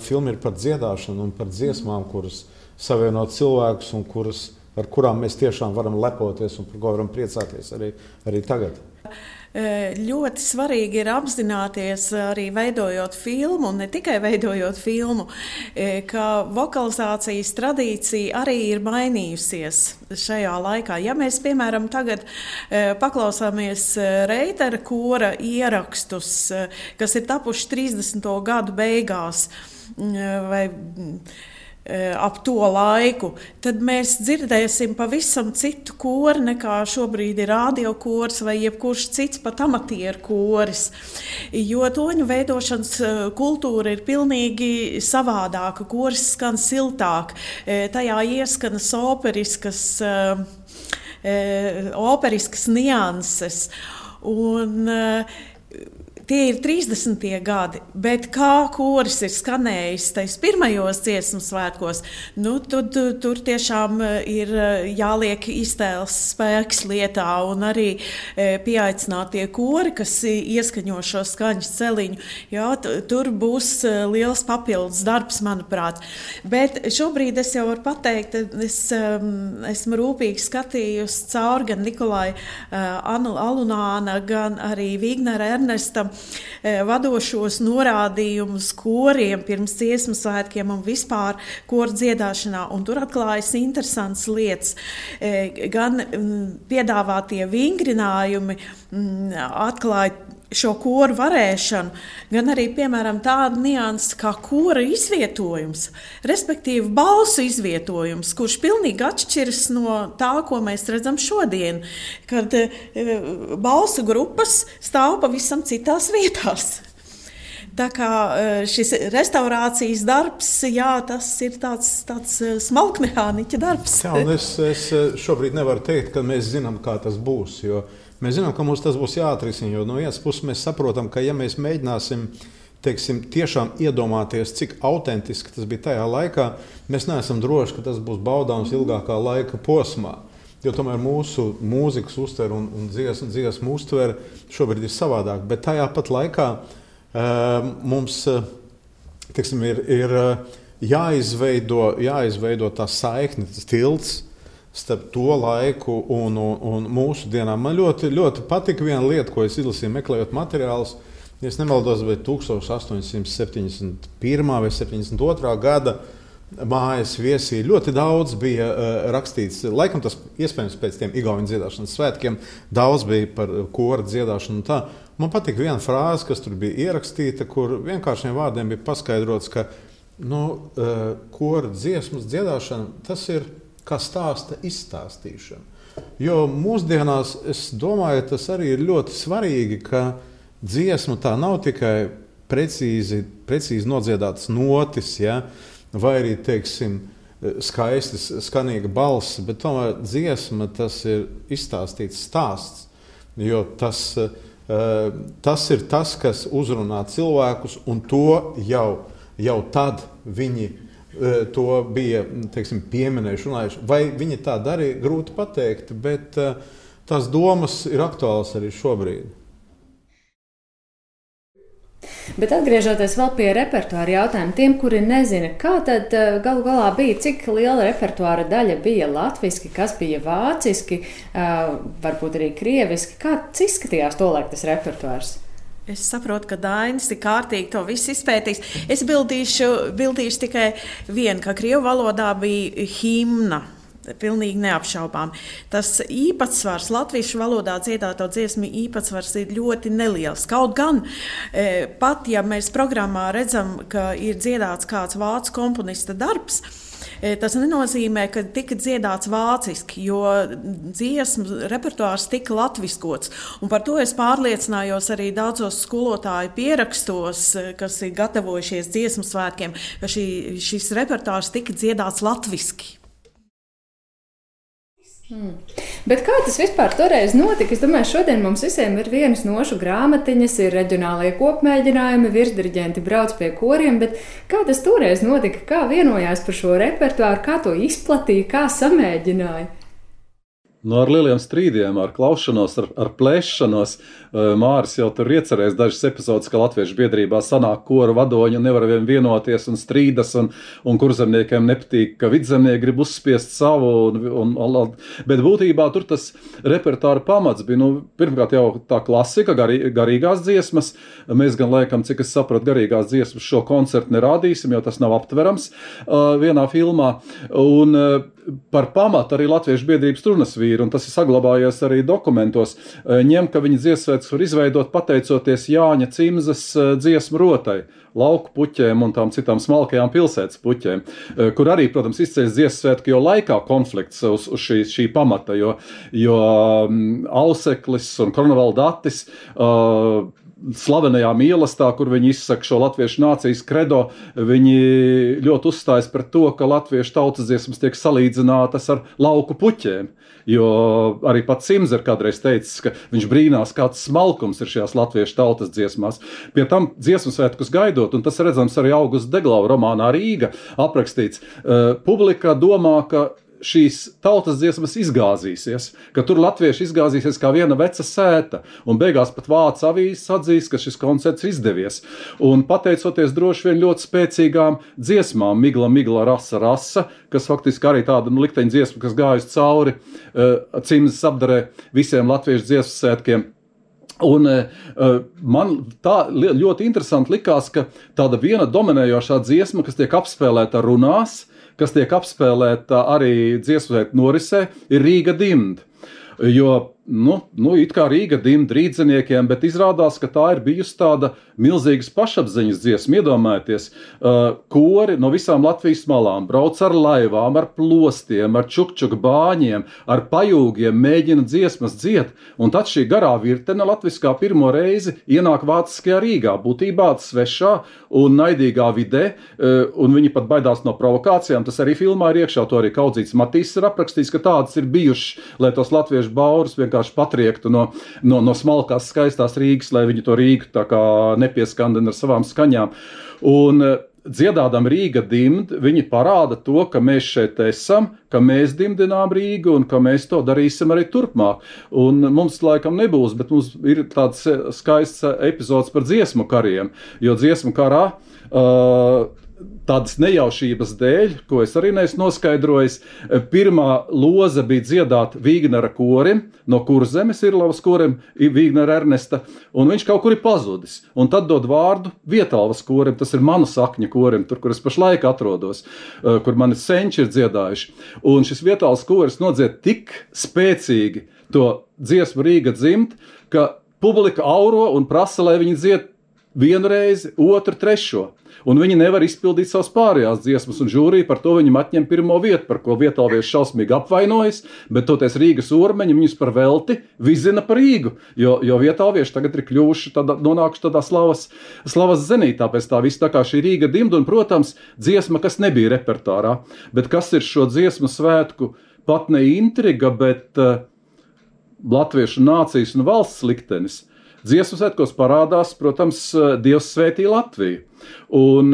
filma ir par dziedāšanu un par dziesmām, kuras savieno cilvēkus un ar kurām mēs tiešām varam lepoties un par ko varam priecāties arī tagad. Ļoti svarīgi ir apzināties arī veidojot filmu, un ne tikai veidojot filmu, ka vokalizācijas tradīcija arī ir mainījusies šajā laikā. Ja mēs, piemēram, tagad paklausāmies Reitera kora ierakstus, kas ir tapuši 30. gadu beigās vai ap to laiku, tad mēs dzirdēsim pavisam citu koru nekā šobrīd ir radiokors vai jebkurš cits pat amatieru koris, jo toņu veidošanas kultūra ir pilnīgi savādāka, koris skan siltāk, tajā ieskanas operiskas nianses, un tie ir 30. gadi, bet kā koris ir skanējis tais pirmajos dziesmu svētkos, tur tiešām ir jāliek iztēles spēks lietā un arī pieaicinātie kori, kas ieskaņo šo skaņas celiņu. Jā, tur būs liels papildus darbs, manuprāt. Bet šobrīd es jau varu pateikt, es esmu rūpīgi skatījusi cauri gan Nikolai Alunāna, gan arī Vignera Ernesta vadošos norādījumus koriem pirms dziesmu svētkiem un vispār koru dziedāšanā, un tur atklājas interesants lietas. Gan piedāvātie vingrinājumi atklāja šo koru varēšanu, gan arī, piemēram, tādu niansu kā kora izvietojums, respektīvi balsu izvietojums, kurš pilnīgi atšķiras no tā, ko mēs redzam šodien, kad balsu grupas stāv pavisam citās vietās. Tā kā šis restaurācijas darbs, jā, tas ir tāds smalkmehāniķa darbs. Jā, un es šobrīd nevaru teikt, ka mēs zinām, kā tas būs, jo mēs zinām, ka mums tas būs jāatrisina, jo no vienas puses mēs saprotam, ka ja mēs mēģināsim, teiksim, tiešām iedomāties, cik autentiski tas bija tajā laikā, mēs neesam droši, ka tas būs baudāms ilgākā laika posmā. Jo tomēr mūsu mūzikas uztvere un dziesmu uztvere šobrīd ir savādāk, bet tajā pat laikā mums, teiksim, ir jāizveido tā saikne, tas tilts starp to laiku un mūsu dienām. Man ļoti patika viena lieta, ko es izlasīju, meklējot materiālus. Ja es nemaldos, bet 1871. vai 72. gada mājas viesī ļoti daudz bija rakstīts. Laikam tas iespējams pēc tiem igauņu dziedāšanas svētkiem daudz bija par kora dziedāšanu un tā. Man patika viena frāze, kas tur bija ierakstīta, kur vienkāršiem vārdiem bija paskaidrots, ka kora dziesmas dziedāšana tas ir kā stāsta izstāstīšana. Jo mūsdienās, es domāju, tas arī ir ļoti svarīgi, ka dziesma tā nav tikai precīzi nodziedātas notis, ja, vai arī, teiksim, skaistas, skanīga balss, bet tomēr dziesma tas ir izstāstīts stāsts, jo tas ir tas, kas uzrunā cilvēkus, un to jau tad viņi to bija, teiksim, pieminējuši, runājuši. Vai viņi tā darīja, grūti pateikt, bet tās domas ir aktuālas arī šobrīd. Bet atgriežoties vēl pie repertuāra jautājuma, tiem, kuri nezina, kā tad galu galā bija, cik liela repertuāra daļa bija latviski, kas bija vāciski, varbūt arī krieviski, kāds izskatījās tolaik tas repertuārs? Es saprotu, ka Dainis ir kārtīgi to visu izpētījis. Es bildīšu tikai vienu, ka krievu valodā bija himna. Pilnīgi neapšaubām. Tas īpatsvars, latviešu valodā dziedāto dziesmu īpatsvars ir ļoti neliels. Kaut gan, pat ja mēs programmā redzam, ka ir dziedāts kāds vācu komponista darbs, tas nenozīmē, ka tika dziedāts vāciski, jo dziesmu repertuārs tika latviskots. Un par to es pārliecinājos arī daudzos skolotāju pierakstos, kas ir gatavojušies dziesmu svētkiem, ka šis repertuārs tika dziedāts latviski. Bet kā tas vispār toreiz notika? Es domāju, šodien mums visiem ir vienas nošu grāmatiņas, ir reģionālie kopmēģinājumi, virsdiriģenti brauc pie koriem, bet kā tas toreiz notika? Kā vienojās par šo repertuāru, kā to izplatīja, kā samēģināja? Ar lieliem strīdiem, ar klaušanos, ar plēšanos. Māris jau tur iecerējis dažas epizodes, ka latviešu biedrībā sanāk koru vadoņi un nevar vienoties un strīdas, un kurzemniekiem nepatīk, ka vidzemnieki grib uzspiest savu. Bet būtībā tur tas repertuāra pamats bija, pirmkārt jau tā klasika, garīgās dziesmas. Mēs gan laikam, cik es sapratu, garīgās dziesmas šo koncertu nerādīsim, jo tas nav aptverams vienā filmā. Un par pamatu arī latviešu biedrības turnasvīri, un tas ir saglabājies arī dokumentos, ņem, ka viņi dziesmsvētkus var izveidot pateicoties Jāņa Cimzas dziesmu rotai, lauku puķēm un tām citām smalkajām pilsētas puķēm, kur arī, protams, izceļas dziesmsvētku jau laikā konflikts uz šī pamata, jo Auseklis un Kornevaldatis slavenajā mīlestā, kur viņi izsaka šo latviešu nācijas kredo, viņi ļoti uzstājas par to, ka latviešu tautas dziesmas tiek salīdzinātas ar lauku puķēm. Jo arī pats Simz ir kādreiz teicis, ka viņš brīnās, kāds smalkums ir šajās latviešu tautas dziesmās. Pie tam dziesmu svētkus gaidot, un tas redzams arī Augusta Deglava romānā Rīga aprakstīts, publika domā, ka šīs tautas dziesmas izgāzīsies, ka tur latvieši izgāzīsies kā viena veca sēta, un beigās pat vācu avīzes atzīst, ka šis koncerts izdevies. Un pateicoties droši vien ļoti spēcīgām dziesmām, Migla, rasa, kas faktiski arī tāda likteņa dziesma, kas gājusi cauri Cimzas apdarē visiem latviešu dziesmu svētkiem. Un man tā ļoti interesanti likās, ka tāda viena dominējošā dziesma, kas tiek apspēlēta runās, kas tiek apspēlēta arī dziesmu svētku norisē, ir Rīga dimd. Jo it kā Rīga dimd rīdziniekiem, bet izrādās, ka tā ir bijusi tāda milzīgas pašapziņas dziesma. Iedomājieties, kori no visām Latvijas malām brauc ar laivām, ar plostiem, ar čukčuk bāņiem, ar pajūgiem, mēģina dziesmas dzied, un tad šī garā virtene latviskā pirmo reizi ienāk vāciskajā Rīgā, būtībā svešā un naidīgā vidē, un viņi pat baidās no provokācijām. Tas arī filmā ir iekšā, to arī Kaudzīts Matīs ir aprakstījis, ka tādas ir bijušas, lai tos latviešu baurus vienkārši patriektu no smalkās skaistās Rīgas, lai viņi to Rīgu tā kā nepieskandina ar savām skaņām. Un dziedādam Rīga dimd, viņi parāda to, ka mēs šeit esam, ka mēs dimdinām Rīgu un ka mēs to darīsim arī turpmāk. Un mums laikam nebūs, bet mums ir tāds skaists epizods par dziesmu kariem, jo dziesmu karā tādas nejaušības dēļ, ko es arī neesmu noskaidrojis, pirmā loze bija dziedāt Vīgnera korim, no Kurzemes Irlavas korim, Vīgnera Ernesta, un viņš kaut kur ir pazudis. Un tad dod vārdu Vietalvas korim, tas ir manu sakņa korim, tur, kur es pašlaik atrodos, kur mani senči ir dziedājuši. Un šis Vietalvas koris nodzied tik spēcīgi to dziesmu Rīga dzimt, ka publika auro un prasa, lai viņi dzied vienu reizi, otru, trešo. Un viņi nevar izpildīt savas pārējās dziesmas, un žūrija par to viņam atņem pirmo vietu, par ko vietalvieši šausmīgi apvainojas, bet toties Rīgas ormeņi viņus par velti vizina par Rīgu, jo vietalvieši tagad ir kļuvuši nonākuši tādā slavas zenītā pēc tā viss, tā kā šī Rīga dimd, un, protams, dziesma, kas nebija repertārā, bet kas ir šo dziesmu svētku pat ne intriga, bet latviešu nācijas un valsts liktenis. Dziesmu svētkos parādās, protams, Dievs svētī Latviju. Un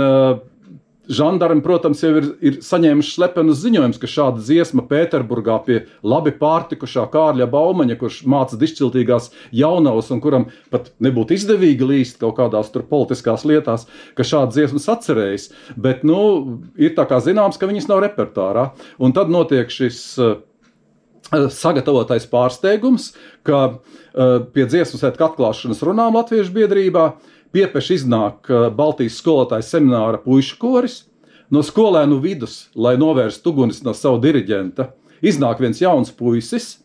žandarmi, protams, jau ir saņēmuši slepenus ziņojumus, ka šāda dziesma Pēterburgā pie labi pārtikušā Kārļa Baumaņa, kurš māca dišciltīgās jaunavas un kuram pat nebūtu izdevīgi līst kaut kādās tur politiskās lietās, ka šāda dziesmas atcerējas. Bet, ir tā kā zināms, ka viņas nav repertārā. Un tad notiek šis sagatavotais pārsteigums, ka pie dziesmu svētku atklāšanas runām Latviešu biedrībā piepeši iznāk Baltijas skolotāju semināra puišu koris, no skolēnu vidus, lai novērstu ugunis no savu diriģenta, iznāk viens jauns puisis,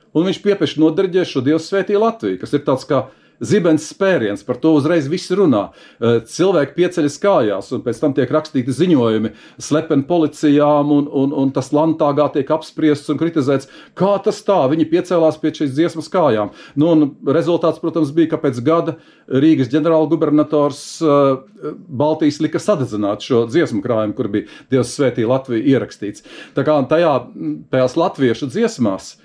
un viņš piepeši nodiriģē šo Dievs svētī Latviju, kas ir tāds kā zibens spēriens, par to uzreiz visi runā. Cilvēki pieceļas kājās, un pēc tam tiek rakstīti ziņojumi slepeni policijām, un tas Landtāgā tiek apspriests un kritizēts, kā tas tā, viņi piecēlās pie šīs dziesmas kājām. Un rezultāts, protams, bija, ka pēc gada Rīgas ģenerālgubernators Baltijas lika sadedzināt šo dziesmu krājumu, kur bija Dievs svētī Latviju ierakstīts. Tā kā tajās latviešu dziesmās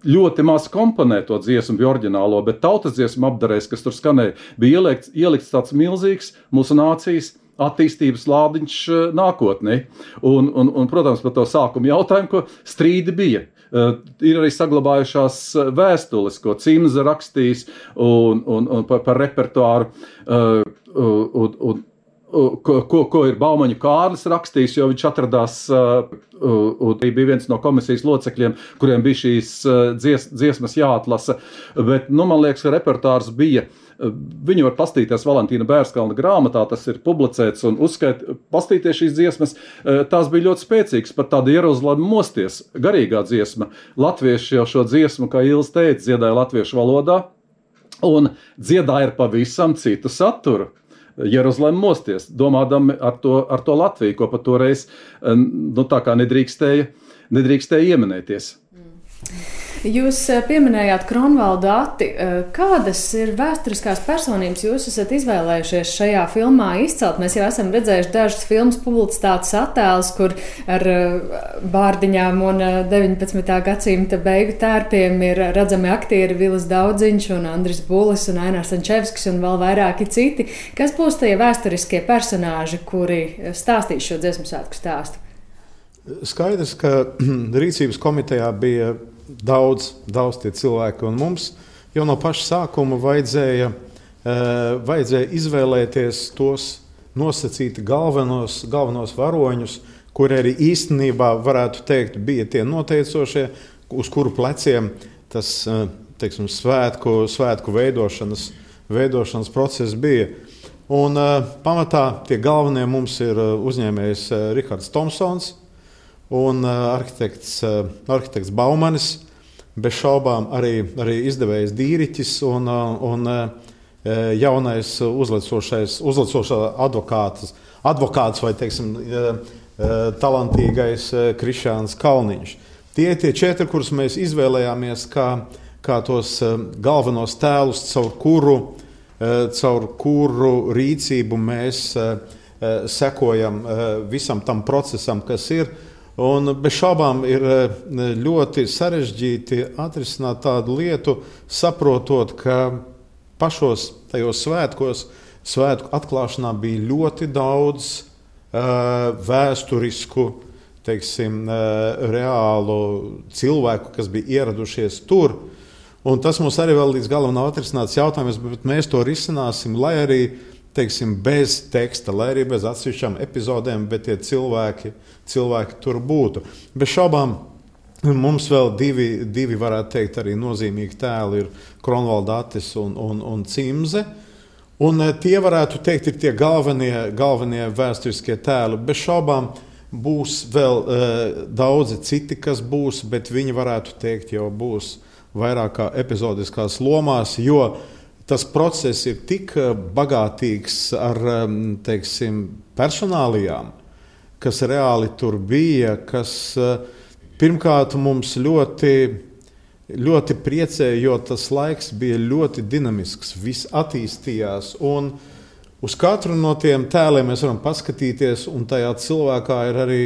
ļoti maz komponē to dziesmu bija oriģinālo, bet tautas dziesmu apdarēs, kas tur skanēja, bija ielikts tāds milzīgs mūsu nācijas attīstības lādiņš nākotnē. Un, protams, par to sākumu jautājumu, ko strīdi bija. Ir arī saglabājušās vēstules, ko Cimza rakstījis un par repertuāru, ko ir Baumaņu Kārlis rakstījis, jo viņš atradās, un bija viens no komisijas locekļiem, kuriem bija šīs dziesmas jāatlasa, bet, man liekas, ka repertārs bija, viņi var pastīties Valentīna Bērskalna grāmatā, tas ir publicēts, un pastīties šīs dziesmas, tās bija ļoti spēcīgas, pat tāda Jeruzalem mosties, garīgā dziesma. Latvieši jau šo dziesmu, kā Ilis teica, dziedāja latviešu valodā, un dziedāja ar pavisam citu saturu. Jeruzalem mosties, domādami ar to Latviju, ko pat toreiz tā kā nedrīkstēja ieminēties. Jūs pieminējāt Kronvaldu Ati. Kādas ir vēsturiskās personības jūs esat izvēlējušies šajā filmā izcelt? Mēs jau esam redzējuši dažas filmas publicitātes attēlus, kur ar bārdiņām un 19. gadsimta beigu tērpiem ir redzami aktieri Vilis Daudziņš un Andris Bulis un Ainārs Ančevskis un vēl vairāki citi. Kas būs tie vēsturiskie personāži, kuri stāstīs šo dziesmu svētku stāstu? Skaidrs, ka rīcības komitejā bija daudz tie cilvēki, un mums jau no paša sākuma vajadzēja izvēlēties tos nosacīti galvenos varoņus, kuri arī īstenībā, varētu teikt, bija tie noteicošie, uz kuru pleciem tas, teiksim, svētku veidošanas process bija. Un pamatā tie galvenie mums ir uzņēmējs Rihards Tomsons un arhitekts Baumanis. bez šaubām arī izdevējs Dīriķis un jaunais uzlecošā advokāts vai, teiksim, talantīgais Krišāns Kalniņš. Tie 4, kurus mēs izvēlējāmies kā tos galvenos tēlus, caur kuru rīcību mēs sekojam visam tam procesam, kas ir. Un bez šaubām ir ļoti sarežģīti atrisināt tādu lietu, saprotot, ka pašos tajos svētku atklāšanā bija ļoti daudz vēsturisku, teiksim, reālu cilvēku, kas bija ieradušies tur. Un tas mums arī vēl līdz galam nav atrisināts jautājums, bet mēs to risināsim, lai arī, teiksim, bez teksta, lai arī bez atsevišķām epizodēm, bet tie cilvēki tur būtu. Bez šaubām mums vēl divi varētu teikt, arī nozīmīgi tēli ir Kronvalda Attis un Cimze. Un tie varētu teikt, ir tie galvenie vēsturiskie tēli. Bez šaubām būs vēl daudzi citi, kas būs, bet viņi varētu teikt, jau būs vairāk kā epizodiskās lomās, jo tas process ir tik bagātīgs ar, teiksim, personālijām, kas reāli tur bija, kas pirmkārt mums ļoti priecēja, jo tas laiks bija ļoti dinamisks, viss attīstījās, un uz katru no tiem tēliem mēs varam paskatīties, un tajā cilvēkā ir arī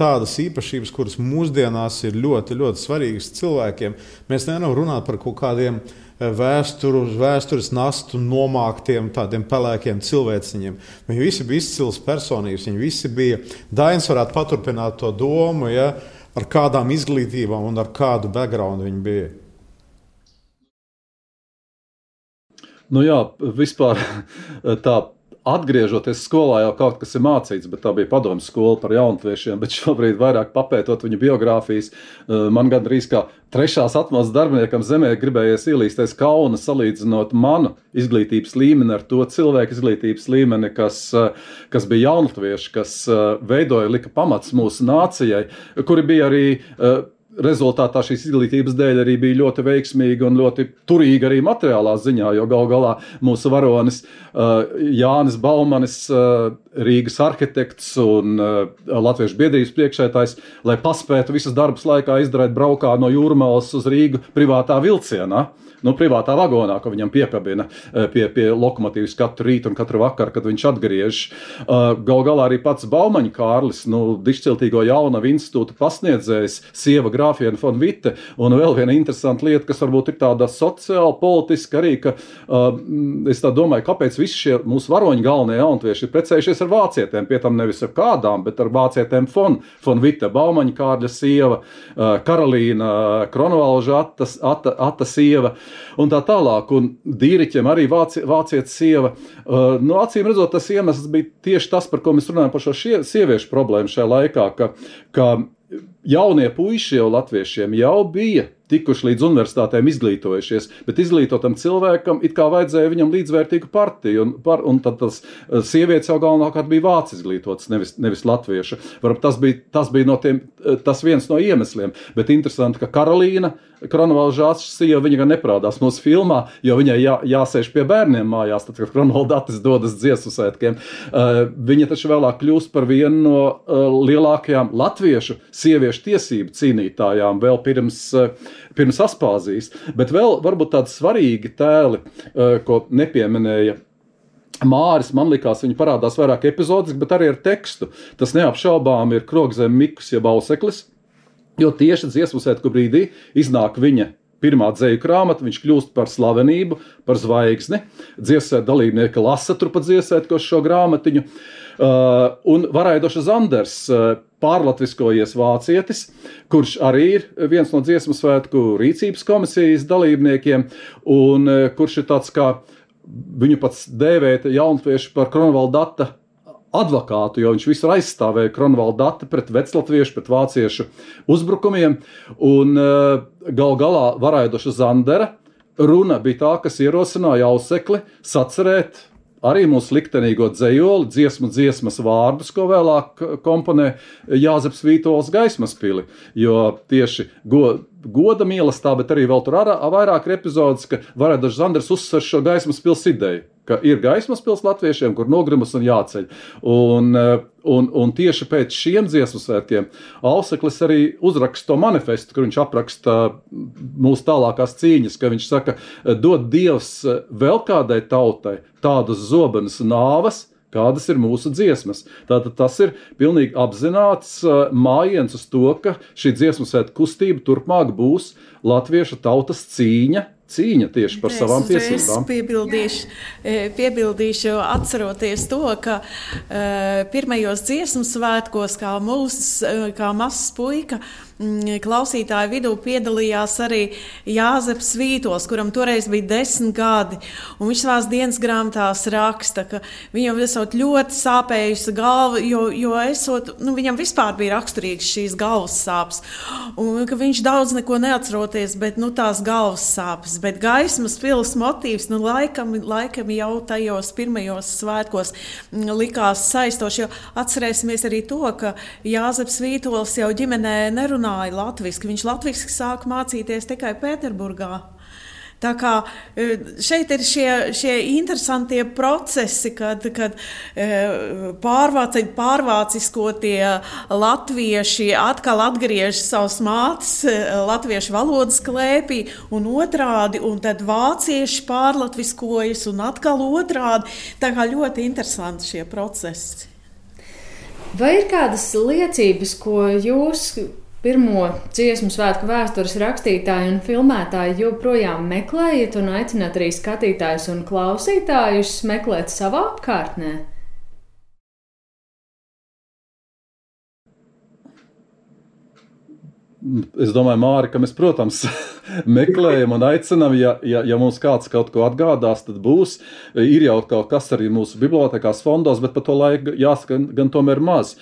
tādas īpašības, kuras mūsdienās ir ļoti, ļoti svarīgas cilvēkiem. Mēs nevaram runāt par kaut kādiem vēstures nastu nomāktiem, tādiem pelēkiem cilvēciņiem. Viņi visi bija izcils personības, viņi visi bija, Dainis varētu paturpināt to domu, ja, ar kādām izglītībām un ar kādu backgroundu viņi bija. Nu jā, vispār tā atgriežoties skolā jau kaut kas ir mācīts, bet tā bija padomju skola par jaunatviešiem, bet šobrīd vairāk papētot viņu biogrāfijas, man gandrīz kā 3. atmodas darbiniekam zemē gribējies ielīsties kauna salīdzinot manu izglītības līmeni ar to cilvēku izglītības līmeni, kas bija jaunatvieši, kas veidoja, lika pamats mūsu nācijai, kuri bija arī rezultātā šīs izglītības dēļ arī bija ļoti veiksmīga un ļoti turīga arī materiālā ziņā, jo gal galā mūsu varonis Jānis Baumanis, Rīgas arhitekts un Latviešu biedrības priekšsēdētājs, lai paspētu visas darbas laikā izdarīt braukā no Jūrmalas uz Rīgu privātā vilcienā. Privātā vagonā, ko viņam piekabina pie lokomotīvas katru rītu un katru vakaru, kad viņš atgriež. Gal galā arī pats Baumaņa Kārlis, dišciltīgo Jaunavu institūta pasniedzējs, sieva Grāfiena von Witte, un vēl viena interesanta lieta, kas varbūt ir tāda sociāli, politiska arī, ka es tā domāju, kāpēc visi šie mūsu varoņi galvenie jaunatvieši ir precējušies ar vācietēm, pie tam nevis ar kādām, bet ar vācietēm von Witte, Baumaņa Kārļa sieva, Karolīna Kronvalža Atta sieva, un tā tālāk, un Dīriķiem arī vācietis sieva. Acīm redzot, tas iemesls bija tieši tas, par ko mēs runājam par šo sieviešu problēmu šajā laikā, ka jaunie puiši jau latviešiem jau bija tikuši līdz universitātēm izglītojušies, bet izglītotam cilvēkam it kā vajadzēja viņam līdzvērtīgu partiju, un tad tas sievietes jau galvenokārt bija vācu izglītotas, nevis latviešu. Varbūt tas bija tas viens no iemesliem, bet interesanti, ka Karolīna Kronvalžāts sieva, viņa gan neparādās mūsu filmā, jo viņai jāsēž pie bērniem mājās, tad, kad Kronvalda Attis dodas dziesmu svētkiem. Viņa taču vēlāk kļūst par vienu no lielākajām latviešu sieviešu tiesību cīnītājām vēl pirms Aspāzijas. Bet vēl varbūt tādi svarīgi tēli, ko nepieminēja Māris, man likās, viņi parādās vairāk epizodiski, bet arī ar tekstu. Tas neapšaubām ir Krogzem Mikus jeb Auseklis, jo tieši dziesmu svētku brīdī iznāk viņa pirmā dzeju grāmata, viņš kļūst par slavenību, par zvaigzni. Dziesmu svētku dalībnieki lasa turpat dziesmu svētkos šo grāmatiņu. Un Varaidoša Zanders, pārlatviskojies vācietis, kurš arī ir viens no dziesmu svētku rīcības komisijas dalībniekiem, un kurš ir tāds kā viņu pats dēvēt jaunatvieši par Kronvalda Atta advokātu, jo viņš visur aizstāvēja Kronvalda Atti pret veclatviešu, pret vāciešu uzbrukumiem, un gal galā Varaidoša Zandera runa bija tā, kas ierosināja Ausekli sacerēt arī mūsu liktenīgo dzejoli, dziesmas vārdus, ko vēlāk komponē Jāzeps Vītols Gaismas pili, jo tieši goda mīlestā, bet arī vēl tur vairāk ir epizodes, ka Varēdažs Zanders uzsver šo Gaismas pils ideju, ka ir Gaismas pils latviešiem, kur nogrimas un jāceļ. Un tieši pēc šiem dziesmu svētkiem Auseklis arī uzraksta to manifestu, kur viņš apraksta mūsu tālākās cīņas, ka viņš saka, dod Dievs vēl kādai tautai tādus zobenus nāvas, kādas ir mūsu dziesmas. Tātad tas ir pilnīgi apzināts mājiens uz to, ka šī dziesmu svētku kustība turpmāk būs latviešu tautas cīņa tieši par savām tiesībām. Es piebildīšu, atceroties to, ka pirmajos dziesmu svētkos, kā mazs puika, klausītāju vidū piedalījās arī Jāzeps Vītols, kuram toreiz bija 10 gadi. Un viņš savās dienas grāmatās raksta, ka viņam esot ļoti sāpējusi galva, jo viņam vispār bija raksturīgs šīs galvas sāpes. Un ka viņš daudz neko neatceroties, bet tās galvas sāpes. Bet Gaismas pils motīvs, laikam jau tajos pirmajos svētkos likās saistoši, jo atcerēsimies arī to, ka Jāzeps Vītols jau ģimenē nerunāja latviski. Viņš latviski sāka mācīties tikai Pēterburgā. Tā kā šeit ir šie interesantie procesi, kad pārvāciskotie latvieši atkal atgriež savas mātes latviešu valodas klēpī un otrādi, un tad vācieši pārlatviskojas un atkal otrādi. Tā kā ļoti interesanti šie procesi. Vai ir kādas liecības, ko jūs pirmo dziesmu svētku vēstures rakstītāji un filmētāji joprojām meklējat un aicināt arī skatītājus un klausītājus meklēt savā apkārtnē? Es domāju, Māri, ka mēs, protams, meklējam un aicinām, ja mums kāds kaut ko atgādās, tad būs. Ir jau kaut kas arī mūsu bibliotekās fondos, bet pa to laiku jāsaka gan tomēr maz.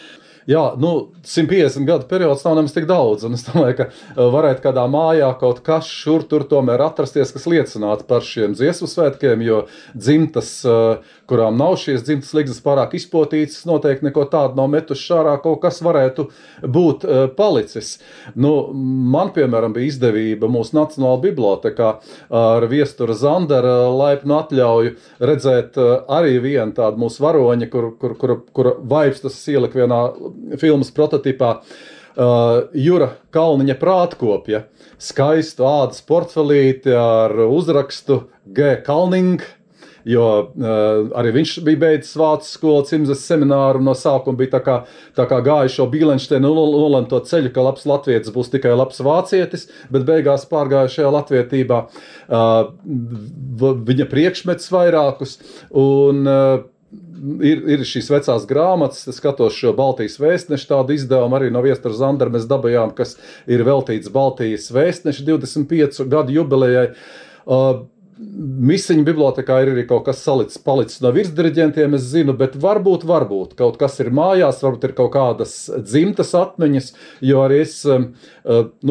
Jā, 150 gadu periods nav nemaz tik daudz, un es domāju, ka varētu kādā mājā kaut kas šur tur tomēr atrasties, kas liecinātu par šiem dziesmu svētkiem, jo dzimtas, kurām nav šīs dzimtas ligzdas pārāk izpotītas, noteikti neko tādu nav metuši ārā, kaut kas varētu būt palicis. Man, piemēram, bija izdevība mūsu Nacionālajā bibliotekā ar Viestura Zandera laipnu atļauju redzēt arī vienu tādu mūsu varoņa, kura vaipstas ielika vienā filmas prototipā, Jura Kalniņa prātkopja, skaistu ādas portfelīti ar uzrakstu G. Kalning, jo arī viņš bija beidzis vācu skolu, Cimzes semināru, no sākuma bija tā kā gāja šo Bīlenšteinu nolemto ceļu, ka labs latvietis būs tikai labs vācietis, bet beigās pārgāja šajā latvietībā viņa priekšmets vairākus, un ir šīs vecās grāmatas, es skatos šo Baltijas vēstnešu tādu izdevumu, arī no Viestura Zandera mēs dabajām, kas ir veltīts Baltijas vēstnešu 25 gadu jubilejai. Misiņu bibliotekā ir arī kaut kas palicis no virsdiriģentiem, es zinu, bet varbūt kaut kas ir mājās, varbūt ir kaut kādas dzimtas atmiņas, jo arī es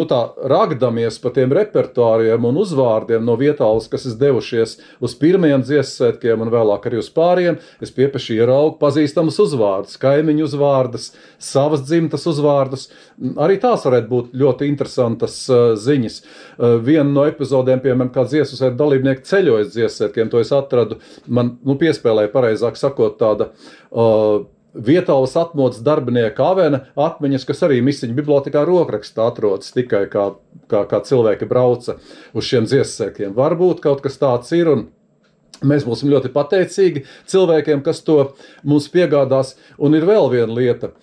tā ragdamies pa tiem repertuāriem un uzvārdiem no vietālus, kas es devušies uz pirmajiem dziesmsvētkiem un vēlāk arī uz pāriem, es piepeši ieraugu pazīstamus uzvārdus, kaimiņu uzvārdus, savas dzimtas uzvārdus. Arī tās varētu būt ļoti interesantas ziņas. Viena no epizodēm, piemēram, kā dziesmsvētku dalībnieki ceļojas dziesmsvētkiem, to es atradu, man piespēlēja pareizāk sakot tāda vietālas atmodas darbinieka avena atmiņas, kas arī Misiņu bibliotekā rokrakstā atrodas tikai kā cilvēki brauca uz šiem dziesmsvētkiem. Varbūt kaut kas tāds ir, un mēs būsim ļoti pateicīgi cilvēkiem, kas to mums piegādās. Un ir vēl viena lieta.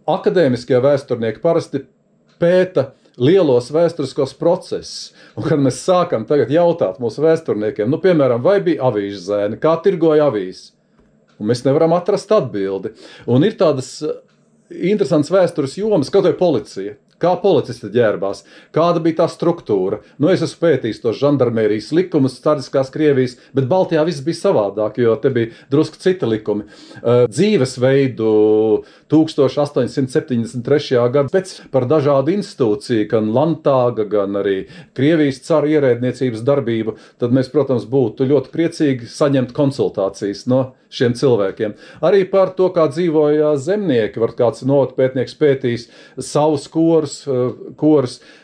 Akadēmiskie vēsturnieki parasti pēta lielos vēsturiskos procesus. Un kad mēs sākam tagad jautāt mūsu vēsturniekiem, piemēram, vai bija avīžu zēni, kā tirgoja avīzes, un mēs nevaram atrast atbildi. Un ir tādas interesantas vēstures jomas, kaut vai policija. kā policisti ģērbās, kāda bija tā struktūra. Nu, es esmu pētījis tos žandarmērijas likumus, cariskās Krievijas, bet Baltijā viss bija savādāk, jo te bija drusku citi likumi. Dzīvesveidu 1873. Gadā pēc par dažādu institūciju, gan Landtāga, gan arī Krievijas cara ierēdniecības darbību, tad mēs, protams, būtu ļoti priecīgi saņemt konsultācijas no šiem cilvēkiem. Arī par to, kā dzīvoja zemnieki, var kāds novadpētnieks pētījis savus korus.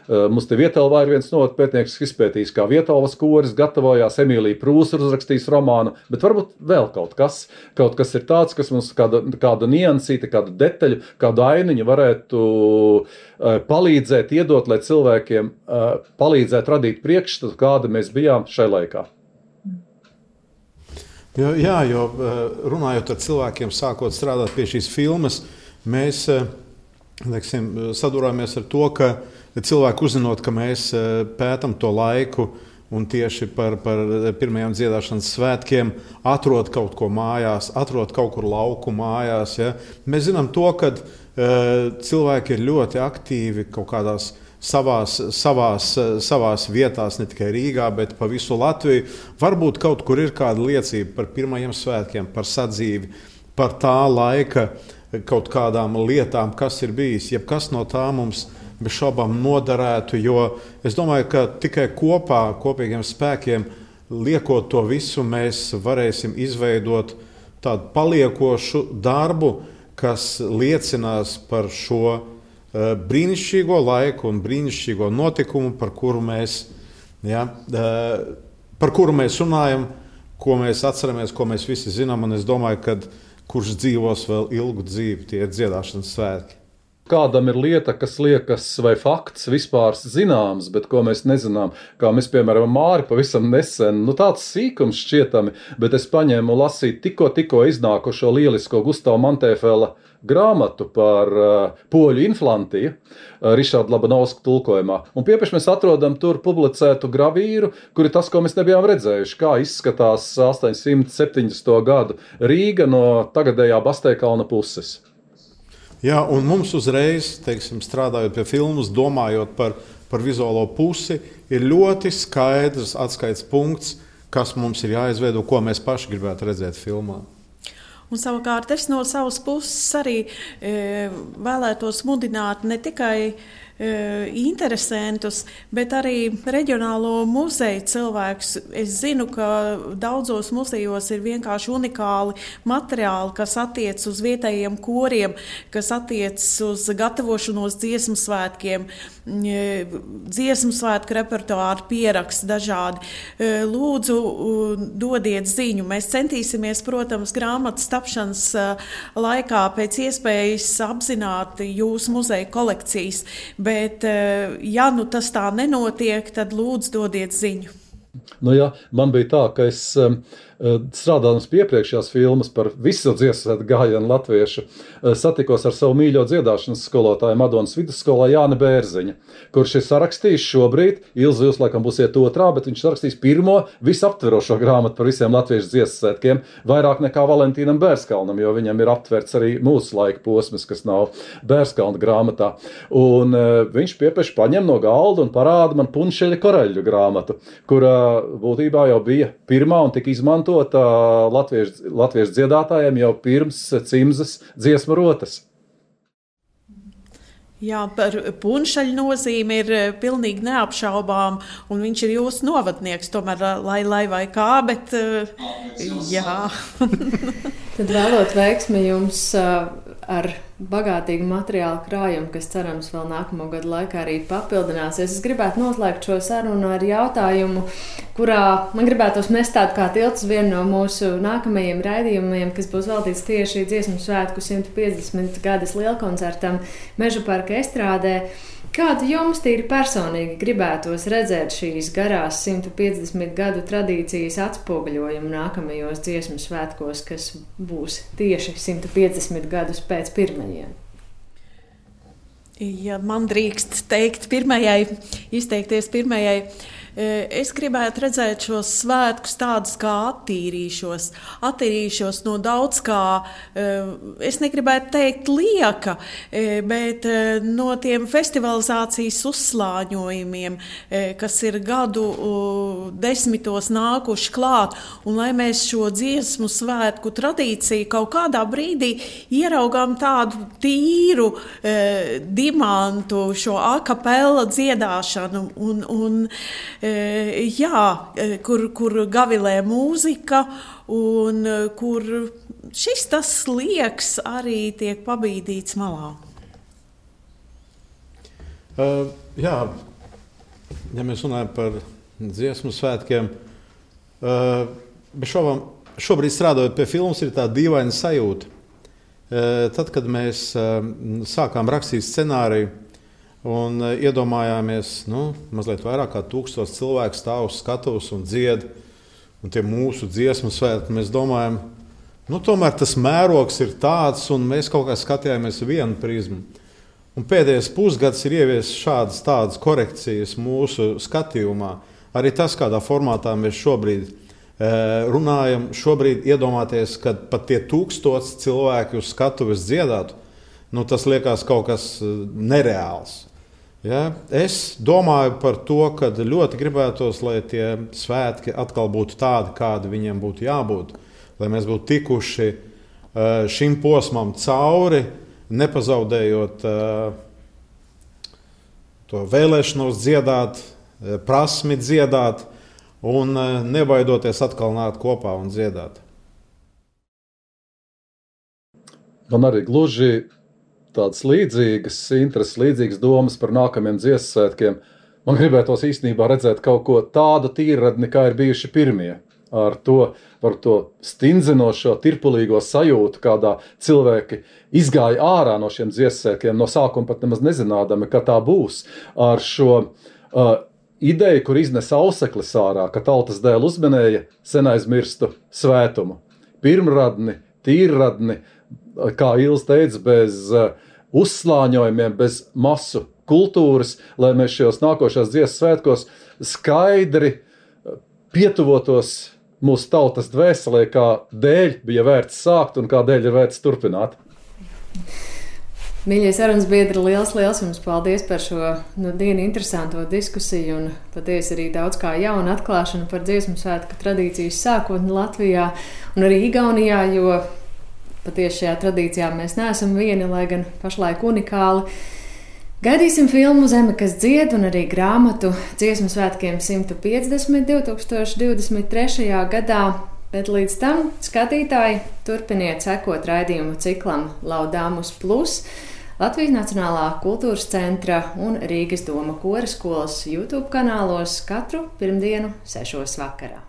Mums te Vietelvā ir viens novadpētnieks izpētījis, kā Vietelvas koris gatavojās, Emīlija Prūsa uzrakstījis romānu, bet varbūt vēl kaut kas ir tāds, kas mums kādu niansīti, kādu detaļu, kādu ainiņu varētu palīdzēt, iedot, lai cilvēkiem palīdzētu radīt priekšstatu, kāda mēs bijām šai laikā. Jā, jo runājot ar cilvēkiem, sākot strādāt pie šīs filmas, mēs sadurāmies ar to, ka cilvēki uzzinot, ka mēs pētam to laiku un tieši par pirmajām dziedāšanas svētkiem atrod kaut ko mājās, atrod kaut kur lauku mājās. Ja? Mēs zinām to, ka cilvēki ir ļoti aktīvi kaut kādās savās vietās, ne tikai Rīgā, bet pa visu Latviju. Varbūt kaut kur ir kāda liecība par pirmajiem svētkiem, par sadzīvi, par tā laika kaut kādām lietām, kas ir bijis. Jebkas no tā mums bez šaubām noderētu, jo es domāju, ka tikai kopīgiem spēkiem, liekot to visu, mēs varēsim izveidot tādu paliekošu darbu, kas liecinās par šo brīnišķīgo laiku un brīnišķīgo notikumu, par kuru mēs runājam, ko mēs atceramies, ko mēs visi zinām, un es domāju, ka kurš dzīvos vēl ilgu dzīvi, tie ir dziedāšanas svētki. Kādam ir lieta, kas liekas vai fakts vispār zināms, bet ko mēs nezinām, kā mēs, piemēram, Māri pavisam nesen, tāds sīkums šķietami, bet es paņēmu lasīt tikko iznākušo lielisko Gustava Mantēfela grāmatu par poļu inflantiju Rišarda Labanovska tulkojumā. Un piepeši mēs atrodam tur publicētu gravīru, kur ir tas, ko mēs nebijām redzējuši, kā izskatās 870. gadu Rīga no tagadējā Basteikalna puses. Jā, un mums uzreiz, strādājot pie filmas, domājot par vizuālo pusi, ir ļoti skaidrs atskaites punkts, kas mums ir jāizveido, ko mēs paši gribētu redzēt filmā. Un savukārt es no savas puses arī vēlētos mudināt ne tikai interesantus, bet arī reģionālo muzeju cilvēkus. Es zinu, ka daudzos muzejos ir vienkārši unikāli materiāli, kas attiec uz vietējiem koriem, kas attiec uz gatavošanos dziesmu svētkiem, dziesmu svētku repertuāru pieraksti dažādi. Lūdzu, dodiet ziņu. Mēs centīsimies, protams, grāmatas tapšanas laikā pēc iespējas apzināt jūsu muzeja kolekcijas, bet, ja tas tā nenotiek, tad lūdzu dodiet ziņu. Man bija tā, ka es strādājot pie iepriekšējās filmas par visu dziesmu gājienu latviešu, satikos ar savu mīļo dziedāšanas skolotāju Madonas vidusskolā Jāni Bērziņa, kurš ir sarakstījis šobrīd, Ilzi, jūs laikam būsiet otrā, bet viņš sarakstījis pirmo visaptverošo grāmatu par visiem latviešu dziesmu svētkiem, vairāk nekā Valentīnam Bērskalnam, jo viņam ir aptverts arī mūsu laika posms, kas nav Bērskalna grāmatā. Un viņš piepeši paņem no galda un parāda man Punšeļa Koreļu grāmatu, kura būtībā jau bija pirmā un tika izmantota latviešu dziedātājiem jau pirms Cimzas dziesmu rotas. Jā, par Punšaļu nozīmi ir pilnīgi neapšaubām, un viņš ir jūsu novadnieks, tomēr lai vai kā, bet jā. Tad vēlot veiksmi jums ar bagātīgu materiālu krājumu, kas cerams vēl nākamo gadu laikā arī papildināsies. Es gribētu noslēgt šo sarunu ar jautājumu, kurā man gribētos mest tādu kā tilts vienu no mūsu nākamajiem raidījumiem, kas būs veltīts tieši dziesmu svētku 150 gadas lielkoncertam Mežaparka estrādē. Kādu jums tīri personīgi gribētos redzēt šīs garās 150 gadu tradīcijas atspoguļojumu nākamajos dziesmu svētkos, kas būs tieši 150 gadus pēc pirmajiem? Ja man drīkst izteikties pirmajai, es gribētu redzēt šos svētkus tādus, kā attīrīšos no daudz kā, es negribētu teikt lieka, bet no tiem festivalizācijas uzslāņojumiem, kas ir gadu desmitos nākuši klāt, un lai mēs šo dziesmu svētku tradīciju kaut kādā brīdī ieraugām tādu tīru dimantu, šo akapela dziedāšanu, kur gavilē mūzika, un kur šis tas liekas arī tiek pabīdīts malā. Ja mēs runājam par dziesmu svētkiem, bet šobrīd strādājot pie filmas, ir tā dīvaina sajūta. Tad, kad mēs sākām rakstīt scenāriju un iedomājāmies, mazliet vairāk kā 1000 cilvēku stāv uz skatuves un dzied, un tie mūsu dziesmu svētki, mēs domājam, tomēr tas mērogs ir tāds, un mēs kaut kā skatījāmies vienu prizmu. Un pēdējais pusgads ir ievies tādas korekcijas mūsu skatījumā. Arī tas, kādā formātā mēs šobrīd runājam, šobrīd iedomāties, ka pat tie 1000 cilvēki uz skatuves dziedātu, tas liekas kaut kas nereāls. Ja? Es domāju par to, ka ļoti gribētos, lai tie svētki atkal būtu tādi, kādi viņiem būtu jābūt, lai mēs būtu tikuši šim posmam cauri, nepazaudējot to vēlēšanos dziedāt, prasmi dziedāt, un nebaidoties atkal nākt kopā un dziedāt. Man arī gluži tādas līdzīgas intereses, līdzīgas domas par nākamiem dziesmu svētkiem. Man gribētos īstenībā redzēt kaut ko tādu tīrradni, kā ir bijuši pirmie. Ar to stindzinošo, tirpulīgo sajūtu, kādā cilvēki izgāja ārā no šiem dziesmu svētkiem, no sākuma pat nemaz nezinādami, ka tā būs. Ar šo ideju, kur iznes auseklis ārā, ka tautas dēļ uzmanēja sen aizmirstu svētumu. Pirmradni, tīrradni, kā Ilze teica, bez uzslāņojumiem, bez masu kultūras, lai mēs šajos nākošās dziesmu svētkos skaidri pietuvotos mūsu tautas dvēselē, kā dēļ bija vērts sākt un kā dēļ ir vērts turpināt. Mīļie sarunas biedri, liels jums paldies par šo dienu interesanto diskusiju un patiesi arī daudz kā jaunu atklāšanu par dziesmu svētku tradīcijas sākotni Latvijā un arī Igaunijā, jo patiesi šajā tradīcijā mēs neesam vieni, lai gan pašlaik unikāli. Gaidīsim filmu Zeme, kas dzied un arī grāmatu dziesmu svētkiem 150 2023. gadā. Bet līdz tam, skatītāji, turpiniet sekot raidījumu ciklam Laudāmus Plus, Latvijas Nacionālā kultūras centra un Rīgas doma kora skolas YouTube kanālos katru pirmdienu 6 vakarā.